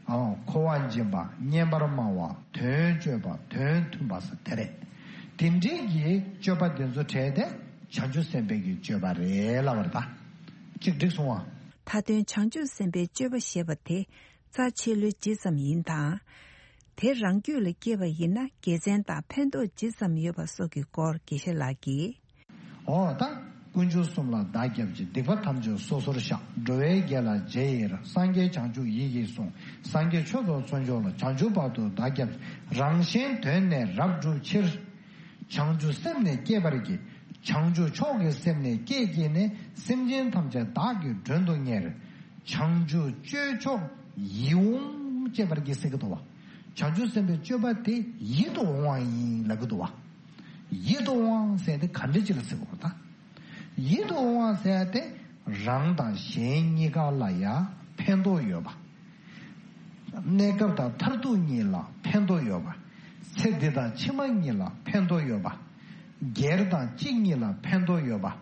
ཨ། འཁོར་བ་འབྱིན་པ། སྙན་པར་སྨྲ་བ། དོན་སྤྱོད་པ། དོན་མཐུན་པ་ཟེར་དེ་རེད། དེ་འདྲའི་གི་སྤྱོད་པ་དེ་ཚོ་བྲལ་ཏེ་བྱང་ཆུབ་སེམས་དཔའི་གི་སྤྱོད་པ་རེད་ལབ་པ་རེད་ད། གཅིག་འགྲིག་སོང་ཨ། མཐའ་དོན་བྱང་ཆུབ་སེམས་དཔའི་སྤྱོད་པ་ཞེས་པ་དེ་རྩ་ཆེ་ལོས་ཇི་ཙམ་ཡིན་དང་། དེ་རང་རྒྱུད་ལ་སྐྱེས་པ་ཡིན་ན་དགེ་མཚན་དང་ཕན་ཐོགས་ཇི་ཙམ་ཡོད་པ་སོགས་ཀྱི་སྐོར་དགེ་བཤེས་ལགས་ཀྱིས། འོ་ད། དཀོན་མཆོག་གསུམ་ལ་བདག་སྐྱབས་མཆི། སྡིག་པ་ཐམས་ཅད་སོ་སོར་བཤགས། འགྲོ་བའི་དགེ་ལ་རྗེས་ཡི་རང་། སངས་རྒྱས་བྱང་ཆུབ་ཡིད་ཀྱིས་བཟུང་། སངས་རྒྱས་ཆོས་ཐོབ་མཚན་མཆོག་ལ། བྱང་ཆུབ་བར་དུ་བདག་སྐྱབས་མཆི། རང་གཞན་དོན་ནི་རབ་བསྒྲུབ་ཕྱིར། བྱང་ཆུབ་སེམས་ནི་བསྐྱེད་པར་བགྱི། བྱང་ཆུབ་མཆོག་གི་སེམས་ནི་བསྐྱེད་བགྱིས་ནས། སེམས་ཅན་ཐམས་ཅད་བདག་གིས་མགྲོན་དུ་གཉེར། བྱང་ཆུབ་སྤྱོད་མཆོག་ཡིད་འོང་སྤྱད་པར་བགྱི་ཟེར་གྱི་འདུག་བ། བྱང་ཆུབ་སེམས་དཔའི་སྤྱོད་པ་དེ་ཡིད་དུ་འོང་བ་ཡིན་ལབ་ཀྱི་འདུག་བ། ཡིད་དུ་འོང་བ་ཟེར་དེ་ག་འདྲ་ཅིག་ལ་ཟེར་དགོས་ད། ཡིད་དུ་འོང་བ་ཟེར་དེ་རང་དང་གཞན་གཉིས་ཀ་ལ་ཡང་ཕན་ཐོགས་ཡོད་པ། གནས་སྐབས་དང་མཐར་ཐུག་གཉིས་ལ་ཕན་ཐོགས་ཡོད་པ། ཚེ་འདི་དང་ཕྱི་མ་གཉིས་ལ་ཕན་ཐོགས་ཡོད་པ། སྒེར་དང་སྤྱི་གཉིས་ལ་ཕན་ཐོགས་ཡོད་པ།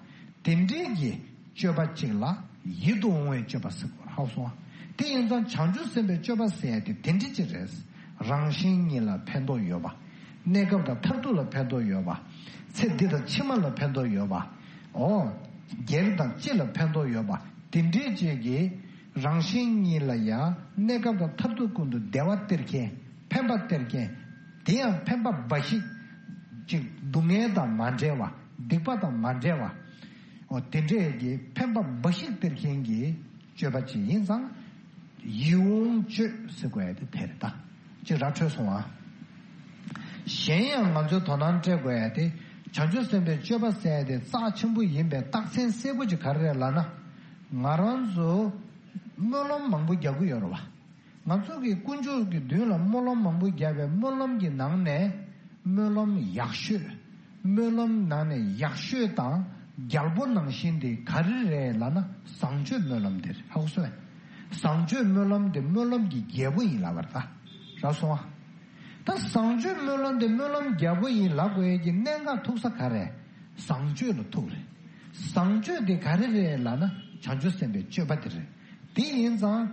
དེ་འདྲའི་གི་སྤྱོད་པ་གཅིག་ལ་ཡིད་དུ་འོང་བའི་སྤྱོད་པ་ཟེར་དགོས། ཧ་གོ་སོང་ང་། དེ་ཡིན་ཙང་བྱང་ཆུབ་སེམས་དཔའི་སྤྱོད་པ་ཟེར་ཡ་དེ་དེ་འདྲ་ཅིག་རེད། རང་གཞན་གཉིས་ལ་ཕན་ཐོགས་ཡོད་པ། གནས་སྐབས་དང་མཐར་ཐུག་ལ་ཕན་ཐོགས་ཡོད་པ། ཚེ་འདི་དང་ཕྱི་མ་ལ་ཕན་ཐོགས་ཡོད་པ། འོ། སྒེར་དང་སྤྱི་ལ་ཕན་ཐོགས་ཡོད་པ། དེ་འདྲའི་ཅིག་གི་རང་གཞན་གཉིས་ལ་ཡང་གནས་སྐབས་དང་མཐར་ཐུག་ཀུན་ཏུ་བདེ་བ་སྟེར་མཁན། ཕན་པ་སྟེར་མཁན། དེ་ཡང་ཕན་པ་འབའ་ཞིག་ཅིག་སྡུག་བསྔལ་དང་མ་བྲལ་བ། སྡིག་པ་དང་མ་བྲལ་བ། འོ་དེ་འདྲས་ཀྱི་ཕན་པ་འབའ་ཞིག་སྟེར་མཁན་གྱི་སྤྱོད་པ་ཅིག་ཡིན་ཙང་། ཡིད་འོང་སྤྱོད་ཟེར་དགོས་ཡ་དེ་དེ་རེད་ད། ཅིག་ར་འཕྲོད་སོང་ཨ། གཞན་ཡང་ང་ཚོས་དོ་སྣང་སྤྲད་དགོས་ཡ་དེ། བྱང་ཆུབ་སེམས་དཔའི་སྤྱོད་པ་ཟེར་ཡ་དེ་རྩ་ཆེན་པོ་ཡིན་པའི་རྟགས་མཚན་གསལ་པོ་ཅིག་ག་རེ་རེད་ལབ་ན། ང་རང་ཚོ་སྨོན་ལམ་མང་པོ་རྒྱག་གི་ཡོད་རེད་བ། ང་ཚོ་གི་དཀོན་མཆོག་གི་མདུན་ལ་སྨོན་ལམ་མང་པོ་བརྒྱབ་པའི་སྨོན་ལམ་གྱི་ནང་ནས་སྨོན་ལམ་ཡག་ཤོས། སྨོན་ལམ་ནང་ནས་ཡག་ཤོས་དང་རྒྱལ་པོ་ནང་བཞིན་དེ་ག་རེ་རེད་ལབ་ན་བཟང་སྤྱོད་སྨོན་ལམ་དེ་རེད། ཧ་གོ་སོང་ངས། བཟང་སྤྱོད་སྨོན་ལམ་དེ་སྨོན་ལམ་གྱི་རྒྱལ་པོ་ཡིན་ལབ་པ་རེད་ད། རག་སོང་ང་། ད་བཟང་སྤྱོད་སྨོན་ལམ་དེ་སྨོན་ལམ་རྒྱལ་པོ་ཡིན་ལབ་དགོས་ཡས་ཀྱི་གནད་འགག་ཐུག་ས་ག་རེ། བཟང་སྤྱོད་ལ་ཐུག་རེད། བཟང་སྤྱོད་དེ་ག་རེ་རེད་ལབ་ན་བྱང་ཆུབ་སེམས་དཔའི་སྤྱོད་པ་དེ་རེད། དེ་ཡིན་ཙང་།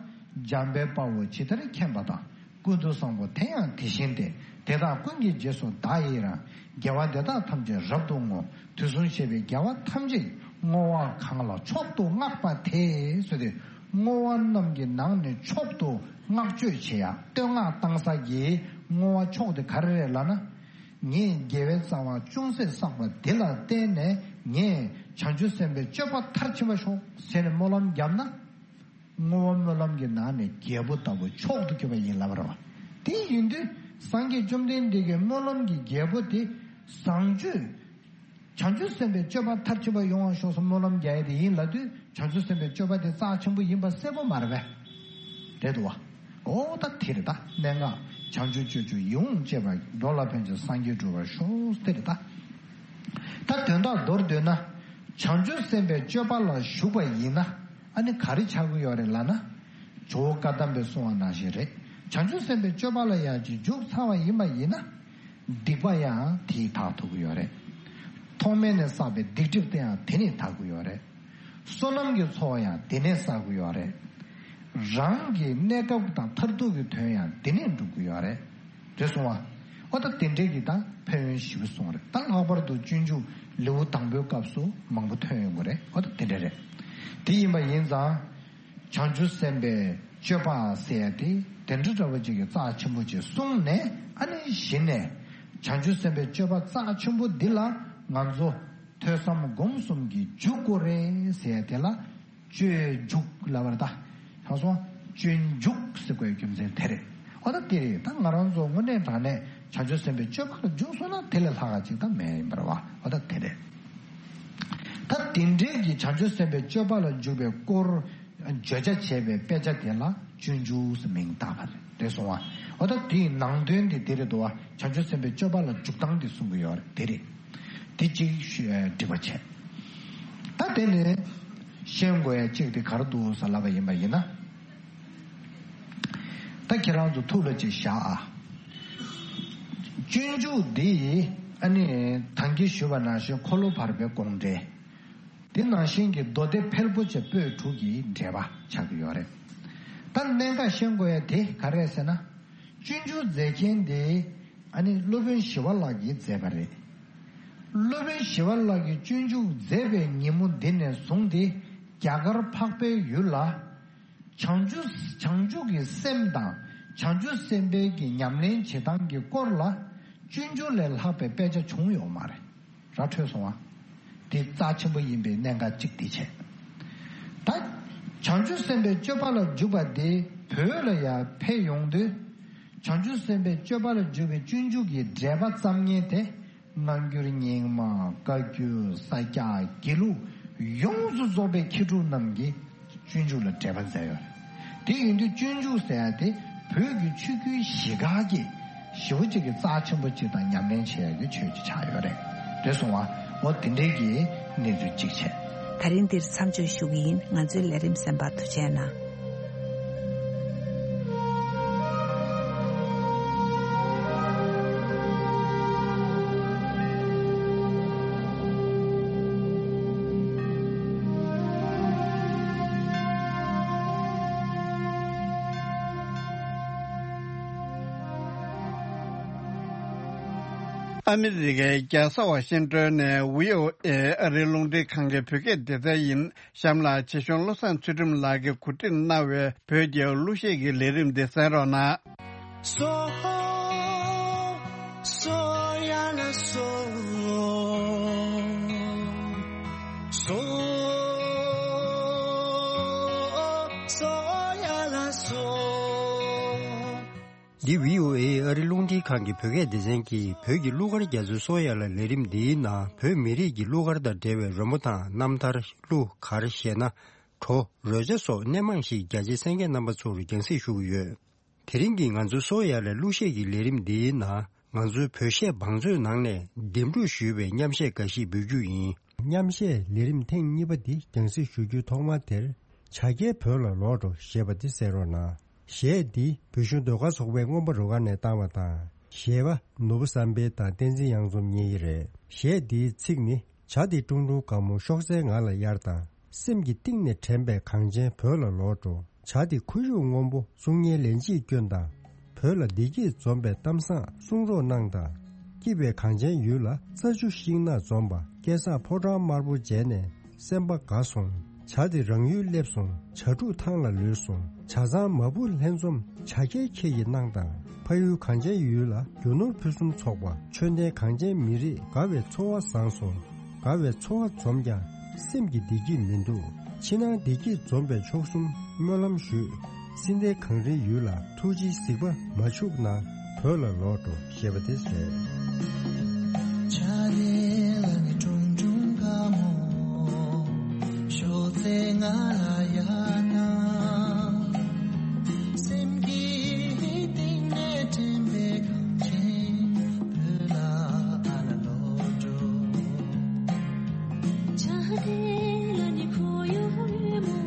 འཇམ་དཔལ་དཔའ་བོས་ཇི་ལྟར་མཁྱེན་པ་དང་། ཀུན་ཏུ་བཟང་པོ་དེ་ཡང་དེ་བཞིན་ཏེ། དེ་དག་ཀུན་གྱི་རྗེས་སུ་བདག་ཡི་རང་། དགེ་བ་འདི་དག་ཐམས་ཅད་རབ་ཏུ་བསྔོ། དུས་གསུམ་གཤེགས་པའི་རྒྱལ་བ་ཐམས་ཅད་བསྔོ་བ་གང་ལ་མཆོག་ཏུ་བསྔགས་པ་དེ་ཟེར་ཏེ། བསྔོ་བ་རྣམས་ཀྱི་ནང་ནས་མཆོག་ཏུ་བསྔགས་བརྗོད་བྱེད་ཡ་བསྟོད་བསྔགས་བཏང་ས་ཀྱི་བསྔོ་བ་མཆོག་དེ་ག་རེ་རེད་ལབ་ན། ངས་དགེ་བའི་རྩ་བ་ཅུང་ཟད་བསགས་པ་དེ་ལ་བརྟེན་ནས་ངས་བྱང་ཆུབ་སེམས་དཔའི་སྤྱོད་པ་མཐར་ཕྱིན་པ་ཤོག་ཟེར་ནས་སྨོན་ལམ་བརྒྱབ་ན། བསྔོ་བ་སྨོན་ལམ་གྱི་ནང་ནས་རྒྱལ་པོ་ལྟ་བུ་མཆོག་ཏུ་གྱུར་པ་ཡིན་ལབ་པ་རེད་བ། དེ་ཡིན་དུས་སངས་རྒྱས་བཅོམ་ལྡན་འདས་ཀྱི་སྨོན་ལམ་གྱི་རྒྱལ་པོ་དེ་བཟང་སྤྱོད། བྱང་ཆུབ་སེམས་དཔའི་སྤྱོད་པ་མཐར་ཕྱིན་པ་ཡོང་བར་ཤོག་ཟེར་སྨོན་ལམ་རྒྱག་ཡ་དེ་ཡིན་ལབ་དུས་བྱང་ཆུབ་སེམས་དཔའི་སྤྱོད་པ་དེ་རྩ་ཆེན་པོ་ཡིན་པ་གསལ་པོ་མ་རེད་པས། རེད་འདུག་བ། ཨོ་ད་དེ་རེད་ད། གནད་འགག་བྱང་ཆུབ་སྤྱོད་བཅུ་ཡིད་འོང་སྤྱད་པ། འགྲོ་ལ་ཕན་ཕྱིར་སངས་རྒྱས་འགྲུབ་པར་ཤོག་དེ་རེད་ད། ད་དོན་དག་མདོར་བསྡུས་ན། བྱང་ཆུབ་སེམས་དཔའི་སྤྱོད་པ་ལ་ཞུགས་པ་ཡིན་ན། ཨ་ནི་ག་རེ་ཆགས་ཀྱི་ཡོད་རེད་ལབ་ན། ཇོ་བོ་བཀའ་གདམས་པས་གསུངས་པ་ནང་བཞིན་རེད། བྱང་ཆུབ་སེམས་དཔའི་སྤྱོད་པ་ལ་ཡང་ཅིག་འཇུག་ཚར་བ་ཡིན་པ་ཡིན་ན། སྡིག་པ་ཡང་དེས་དག་ཐུབ་ཀྱི་ཡོད་རེད། ཐོག་མེད་ནས་བསགས་པའི་སྡིག་སྒྲིབ་དེ་ཡང་དེ་ནས་དག་གི་ཡོད་རེད། བསོད་ནམས་ཀྱི་ཚོགས་ཡང་དེ་ནས་བསགས་ཀྱི་ཡོད་རེད། རང་གི་གནས་སྐབས་དང་མཐར་ཐུག་གི་དོན་ཡང་དེ་ནས་འགྲུབ་ཀྱི་ཡོད་རེད། རེད་སོང་བ། ཨོ་ད་དེ་འདྲས་ཀྱི་ད་ཕན་ཡོན་ཞེ་པོ་གསུངས་རེད། ད་ལྷག་པར་དུ་སྤྱོད་འཇུག་ལེའུ་དང་པོའི་སྐབས་སུ་མང་པོ་ཐོན་ཡོང་གི་རེད། ཨོ་ད་དེ་འདྲས་རེད། དེ་ཡིན་པ་ཡིན་ཙང་། བྱང་ཆུབ་སེམས་དཔའི་སྤྱོད་པ་ཟེར་ཡ་དེ་དེ་འདྲ་འདྲ་བོ་ཅིག་གི་རྩ་ཆེན་པོ་ཅིག་གསུངས་ནས། ཨ་ནི་གཞི་ནས་བྱང་ཆུབ་སེམས་དཔའི་སྤྱོད་པ་རྩ་ཆེན་པོ་འདི་ལ་ང་ཚོ་ཐོས་བསམ་སྒོམ་གསུམ་གྱི་འཇུག་སྒོ་རེད་ཟེར་ཡ་དེ་ལ་སྤྱོད་འཇུག་ལབ་པ་རེད་ད། ད་སོང་སྤྱོད་འཇུག་ཟེར་དགོས་རྒྱུ་མཚན་དེ་རེད། ཨོ་ད་དེ་རེད། ད་ང་རང་ཚོ་དངོས་གནས་དྲང་གནས་བྱང་ཆུབ་སེམས་དཔའི་སྤྱོད་པ་ལ་འཇུག་སོང་ན་དེ་ལས་ལྷག་ག་ཅིག་ད་མེད་ཡིན་པ་རེད་བ། ཨོ་ད་དེ་རེད། ད་དེ་འདྲའི་གི་བྱང་ཆུབ་སེམས་དཔའི་སྤྱོད་པ་ལ་འཇུག་པའི་སྐོར་བརྗོད་བྱ་བྱས་པའི་དཔེ་ཆ་དེ་ལ་སྤྱོད་འཇུག་ཟེར་མིང་བཏགས་པ་རེད། རེད་སོང་བ། ཨོ་ད་དེའི་ནང་དོན་དེ་དེ་རེད་འདུག་བ། བྱང་ཆུབ་སེམས་དཔའི་སྤྱོད་པ་ལ་འཇུག་སྟངས་དེ་གསུང་གི་ཡོད་རེད། དེ་རེད། དེ་གཅིག་ཞུ་ཨ་འགྲིག་པ་བྱས། ད་དེ་ནས་ཤེས་དགོས་ཡ་གཅིག་དེ་ག་རེ་འདུག་ཟེར་ལབ་པ་ཡིན་པ་ཡིན་ན། ད་ཁྱེད་རང་ཚོ་ཐུགས་ལ་ཅིག་བཞག་ཨ། སྤྱོད་འཇུག་འདི་ཨ་ནི་ད་གིན་ཞུས་པ་ནང་བཞིན་འཁོར་ལོ་བར་པའི་དགོངས་འགྲེལ། དེ་ནང་བཞིན་གྱི་མདོ་སྡེ་ཕལ་པོ་ཆེ་པོད་དྲུག་གི་འགྲེལ་པ་ཆགས་ཀྱི་ཡོད་རེད། ད་གནད་འགག་ཤེས་དགོས་ཡ་དེ་ག་རེ་རེད་ཟེར་ན། སྤྱོད་འཇུག་མཛད་མཁན་དེ་ཨ་ནི་སློབ་དཔོན་ཞི་བ་ལྷ་གིས་མཛད་པ་རེད། སློབ་དཔོན་ཞི་བ་ལྷ་གིས་སྤྱོད་འཇུག་མཛད་པའི་ཉིན་མོ་འདི་ནས་བཟུང་སྟེ་རྒྱ་གར་འཕགས་པའི་ཡུལ་ལ། བྱང་ཆུབ་བྱང་ཆུབ་ཀྱི་སེམས་དང་བྱང་ཆུབ་སེམས་དཔའི་གི་ཉམས་ལེན་བྱེད་སྟངས་ཀྱི་སྐོར་ལ་སྤྱོད་འཇུག་ལས་ལྷག་པའི་དཔེ་ཆ་བྱུང་ཡོད་མ་རེད། ར་འཕྲོད་སོང་བ། དེ་རྩ་ཆེན་པོ་ཡིན་པའི་གནད་འགག་གཅིག་དེ་བྱས། ད་བྱང་ཆུབ་སེམས་དཔའི་སྤྱོད་པ་ལ་འཇུག་པ་དེ་བོད་ལ་ཡང་ཕེབས་ཡོང་དུས། བྱང་ཆུབ་སེམས་དཔའི་སྤྱོད་པ་ལ་འཇུག་པའི་སྤྱོད་འཇུག་གི་འགྲེལ་པ་བརྩམ་མཁན་དེ། སྔ་འགྱུར་རྙིང་མ། བཀའ་བརྒྱུད། ས་སྐྱ། དགེ་ལུགས། ཡོངས་སུ་རྫོགས་པའི་མཁས་གྲུབ་རྣམས་ཀྱིས་སྤྱོད་འཇུག་ལ་འགྲེལ་པ་མཛད་ཡོད་རེད། དེ་ཡིན་དུས་སྤྱོད་འཇུག་ཟེར་ཡ་དེ་བོད་ཀྱི་ཆོས་བརྒྱུད་བཞི་ཀ་གི་ཞེ་པོ་ཅིག་གི་རྩ་ཆེན་པོ་ཅིག་དང་ཉམས་ལེན་བྱེད་ཡ་གི་ཆོས་ཅིག་ཆགས་ཡོད་རེད། རེད་སོང་བ། འོ་དེ་འདྲའི་གི་གནས་ཚུལ་གཅིག་བྱས། ད་རིང་འདིར་མཚམས་འཇོག་ཞུ་གི་ཡིན། ང་ཚོའི་ལས་རིམ་གསན་པར་ཐུགས་རྗེ་གནང་། ཨ་མི་རི་ཀའི་རྒྱལ་ས་ཝ་ཤིང་ཏོན་ནས་བྷི་ཨོ་ཨེ་ཨ་རིའི་རླུང་འཕྲིན་ཁང་གི་བོད་སྐད་སྡེ་ཚན་ཡིན། གཤམ་ལ་ཆེ་ཆུང་བློ་བཟང་ཚུལ་ཁྲིམས་ལགས་ཀྱིས་གོ་སྒྲིག་གནང་བའི་བོད་ཀྱི་གླུ་གཞས་ཀྱི་ལས་རིམ་འདི་གསན་རོགས་གནང་། སོ། སོ་ཡ་ལ་སོ། སོ། སོ་ཡ་ལ་སོ། འདི་བྷི་ཨོ་ཨེ་ཨ་རི་རླུང་འཕྲིན་ཁང་གི་བོད་སྐད་སྡེ་ཚན་གྱིས་བོད་ཀྱི་གླུ་གར་རྒྱ་མཚོའི་སོ་ཡ་ལ་ལས་རིམ་འདིའི་ནང་བོད་མི་རིགས་ཀྱི་གླུ་གར་དང་འབྲེལ་བའི་རོལ་མོ་དང་རྣམ་ཐར། གླུ་གར་གཞས་སྣ། བྲོ། རོལ་ཆ་སོགས་སྣེ་མང་ཞིག་རྒྱ་ཆེའི་གསན་མཁན་རྣམ་པ་ཚོར་རྒྱང་སྲིང་ཞུ་གི་ཡོད། དེ་རིང་གི་ང་ཚོའི་སོ་ཡ་ལ་གླུ་གཞས་ཀྱི་ལས་རིམ་འདིའི་ནང་ང་ཚོའི་བོད་གཞས་བང་མཛོད་ནང་ནས་འདེམས་སྒྲུག་ཞུས་པའི་མཉམ་གཞས་འགའ་ཞིག་འབུལ་རྒྱུ་ཡིན། མཉམ་གཞས་ལས་རིམ་ཐེངས་གཉིས་པ་འདི་རྒྱང་སྲིང་ཞུ་རྒྱུའི་ཐོག་མ་དེར། བྱ་རྒྱལ་བོད་ལ་ལོག་འགྲོ་ཞེས་པ་འདི་གསན་རོགས་གནང་། གཞས་འདི་བོད་གཞུང་ཟློས་གར་ཚོགས་པའི་རྔོན་པ་རུ་ཁག་ནས་བཏང་བ་དང་། གཞས་པ་ནོར་བུ་བསམ་འཕེལ་དང་བསྟན་འཛིན་གཡང་འཛོམས་གཉིས་ཀྱི་རེད། གཞས་འདིའི་ཚིག་ནི། བྱ་འདི་ཀྲུང་ཀྲུང་དགའ་མོ་ཤོག་སེར་ང་ལ་གཡར་དང་། སེམས་ཀྱི་གཏིང་ནས་དྲན་པའི་གངས་ཅན་བོད་ལ་ལོག་འགྲོ། བྱ་འདི་ཁོར་ཡུག་སྔོན་པོ་གསུང་སྙན་ལན་གཅིག་སྐྱོན་དང་། བོད་ལ་བདེ་སྐྱིད་འཛོམས་པའི་གཏམ་བཟང་གསུང་རོགས་གནང་དང་། སྐྱིད་པའི་གངས་ཅན་ཡུལ་ལ་རྩྭ་ཆུ་ཤིང་ནགས་འཛོམས་པ། སྐལ་བཟང་ཕོ་བྲང་དམར་པོ་མཇལ་ནས་སེམས་པ་དགའ་སོང་། ། བྱ་དེ་རང་ཡུལ་སླེབས་སོང་། བྱ་ཕྲུག་ཐང་ལ་ལུས་སོང་། བྱ་ཚང་མ་བུ་ལྷན་འཛོམས། བྱ་རྒྱལ་ཁྱེད་ཀྱིས་གནང་དང་། ཕ་ཡུལ་གངས་ཅན་ཡུལ་ལ། རྒྱུ་ནོར་ཕུན་སུམ་ཚོགས་པ། ཆོས་ལྡན་གངས་ཅན་མི་རིགས། དགའ་བའི་འཚོ་བ་བཟང་སོང་། དགའ་བའི་འཚོ་བ་འཛོམས་ཀྱང་། སེམས་ཀྱི་བདེ་སྐྱིད་མི་འདུག་ཕྱི་ནང་བདེ་སྐྱིད་འཛོམས་པའི་མཆོག་གསུམ་སྨོན་ལམ་ཞུས། སྲིད་མཐའི་གངས་རིའི་ཡུལ་ལ་ཐུགས་རྗེའི་གཟིགས་པ་མ་འཆུག་ན། བོད་ལ་ལོག་འགྲོ་ཞེས་པ་དེ་རེད། ཆ་ལེ་ལ་ནི་ཀྲུང་ཀྲུང་དགའ་མོ། ཤོག་ཚེ་ང་ལ་ཡ་ན། སེམས་ཀྱི་གཏིང་ནས་དྲན་པའི་གངས་ཅན་བོད་ལ་ཨ་ལ་ལོག་འགྲོ། ཆ་ལེ་ལ་ནི་ཁོ་ཡོ་མོ།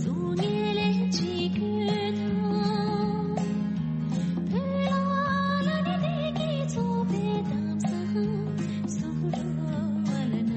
སོ་ངེ་ལེ་ཅི་ཀུ་ཐང་། བོད་ལ་ལ་ནི་བདེ་སྐྱིད་འཚོ་བའི་གཏམ་བཟང་། སུ་རུ་བ་ལ་ན།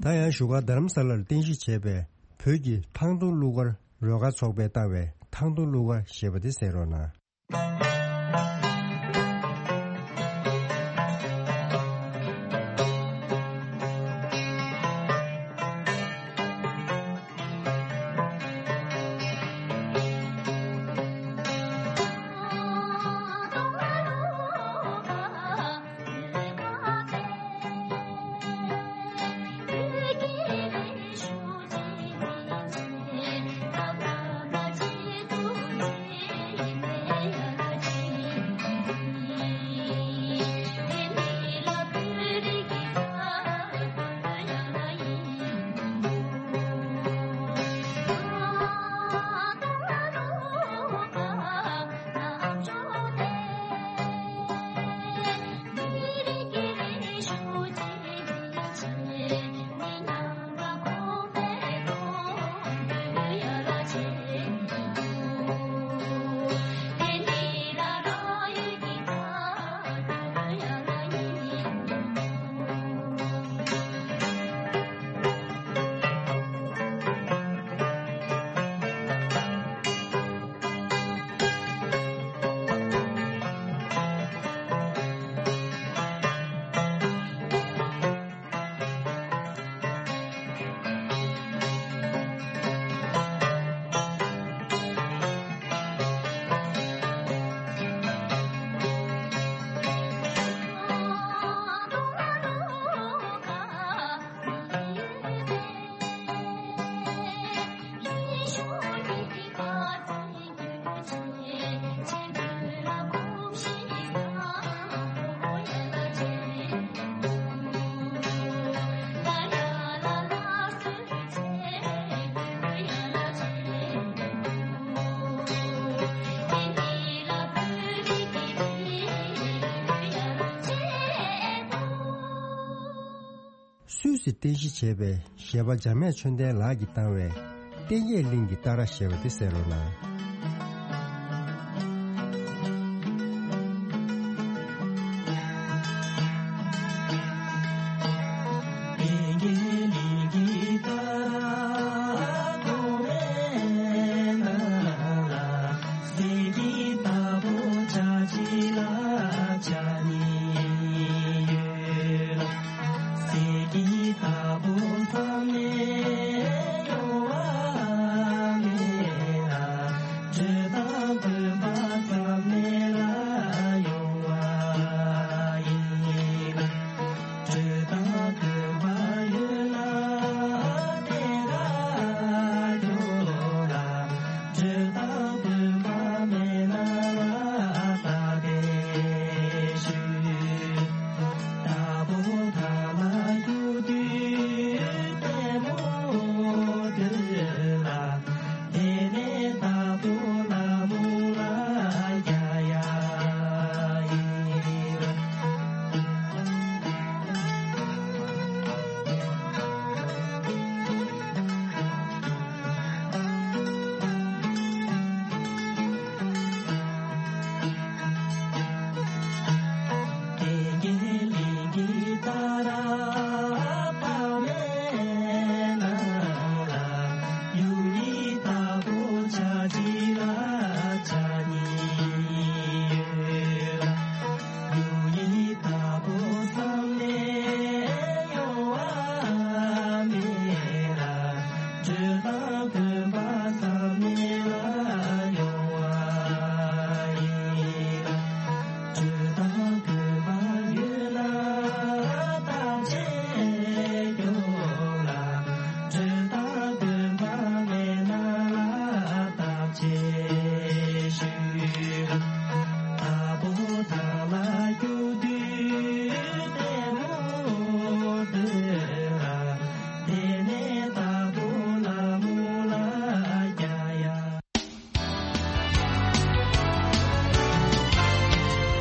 ད་ཡང་བཞུགས་སྒར་རྡ་རམ་ས་ལར་རྟེན་གཞི་བྱས་པའི་བོད་ཀྱི་ཐང་སྟོང་གླུ་གར་རོལ་གར་ཚོགས་པས་བཏང་བའི་ཐང་སྟོང་གླུ་གར་ཞེས་པ་དེ་གསན་རོགས་གནང་། སུད་སི་རྟེན་གཞི་བྱས་པའི་གཞས་པ་འཇམ་དབྱངས་ཆོས་ལྡན་ལགས་ཀྱིས་བཏང་བའི་ལྟེང་རྒྱས་གླིང་གི་རྟ་ར་ཞེས་པ་དེ་གསན་རོགས་གནང་།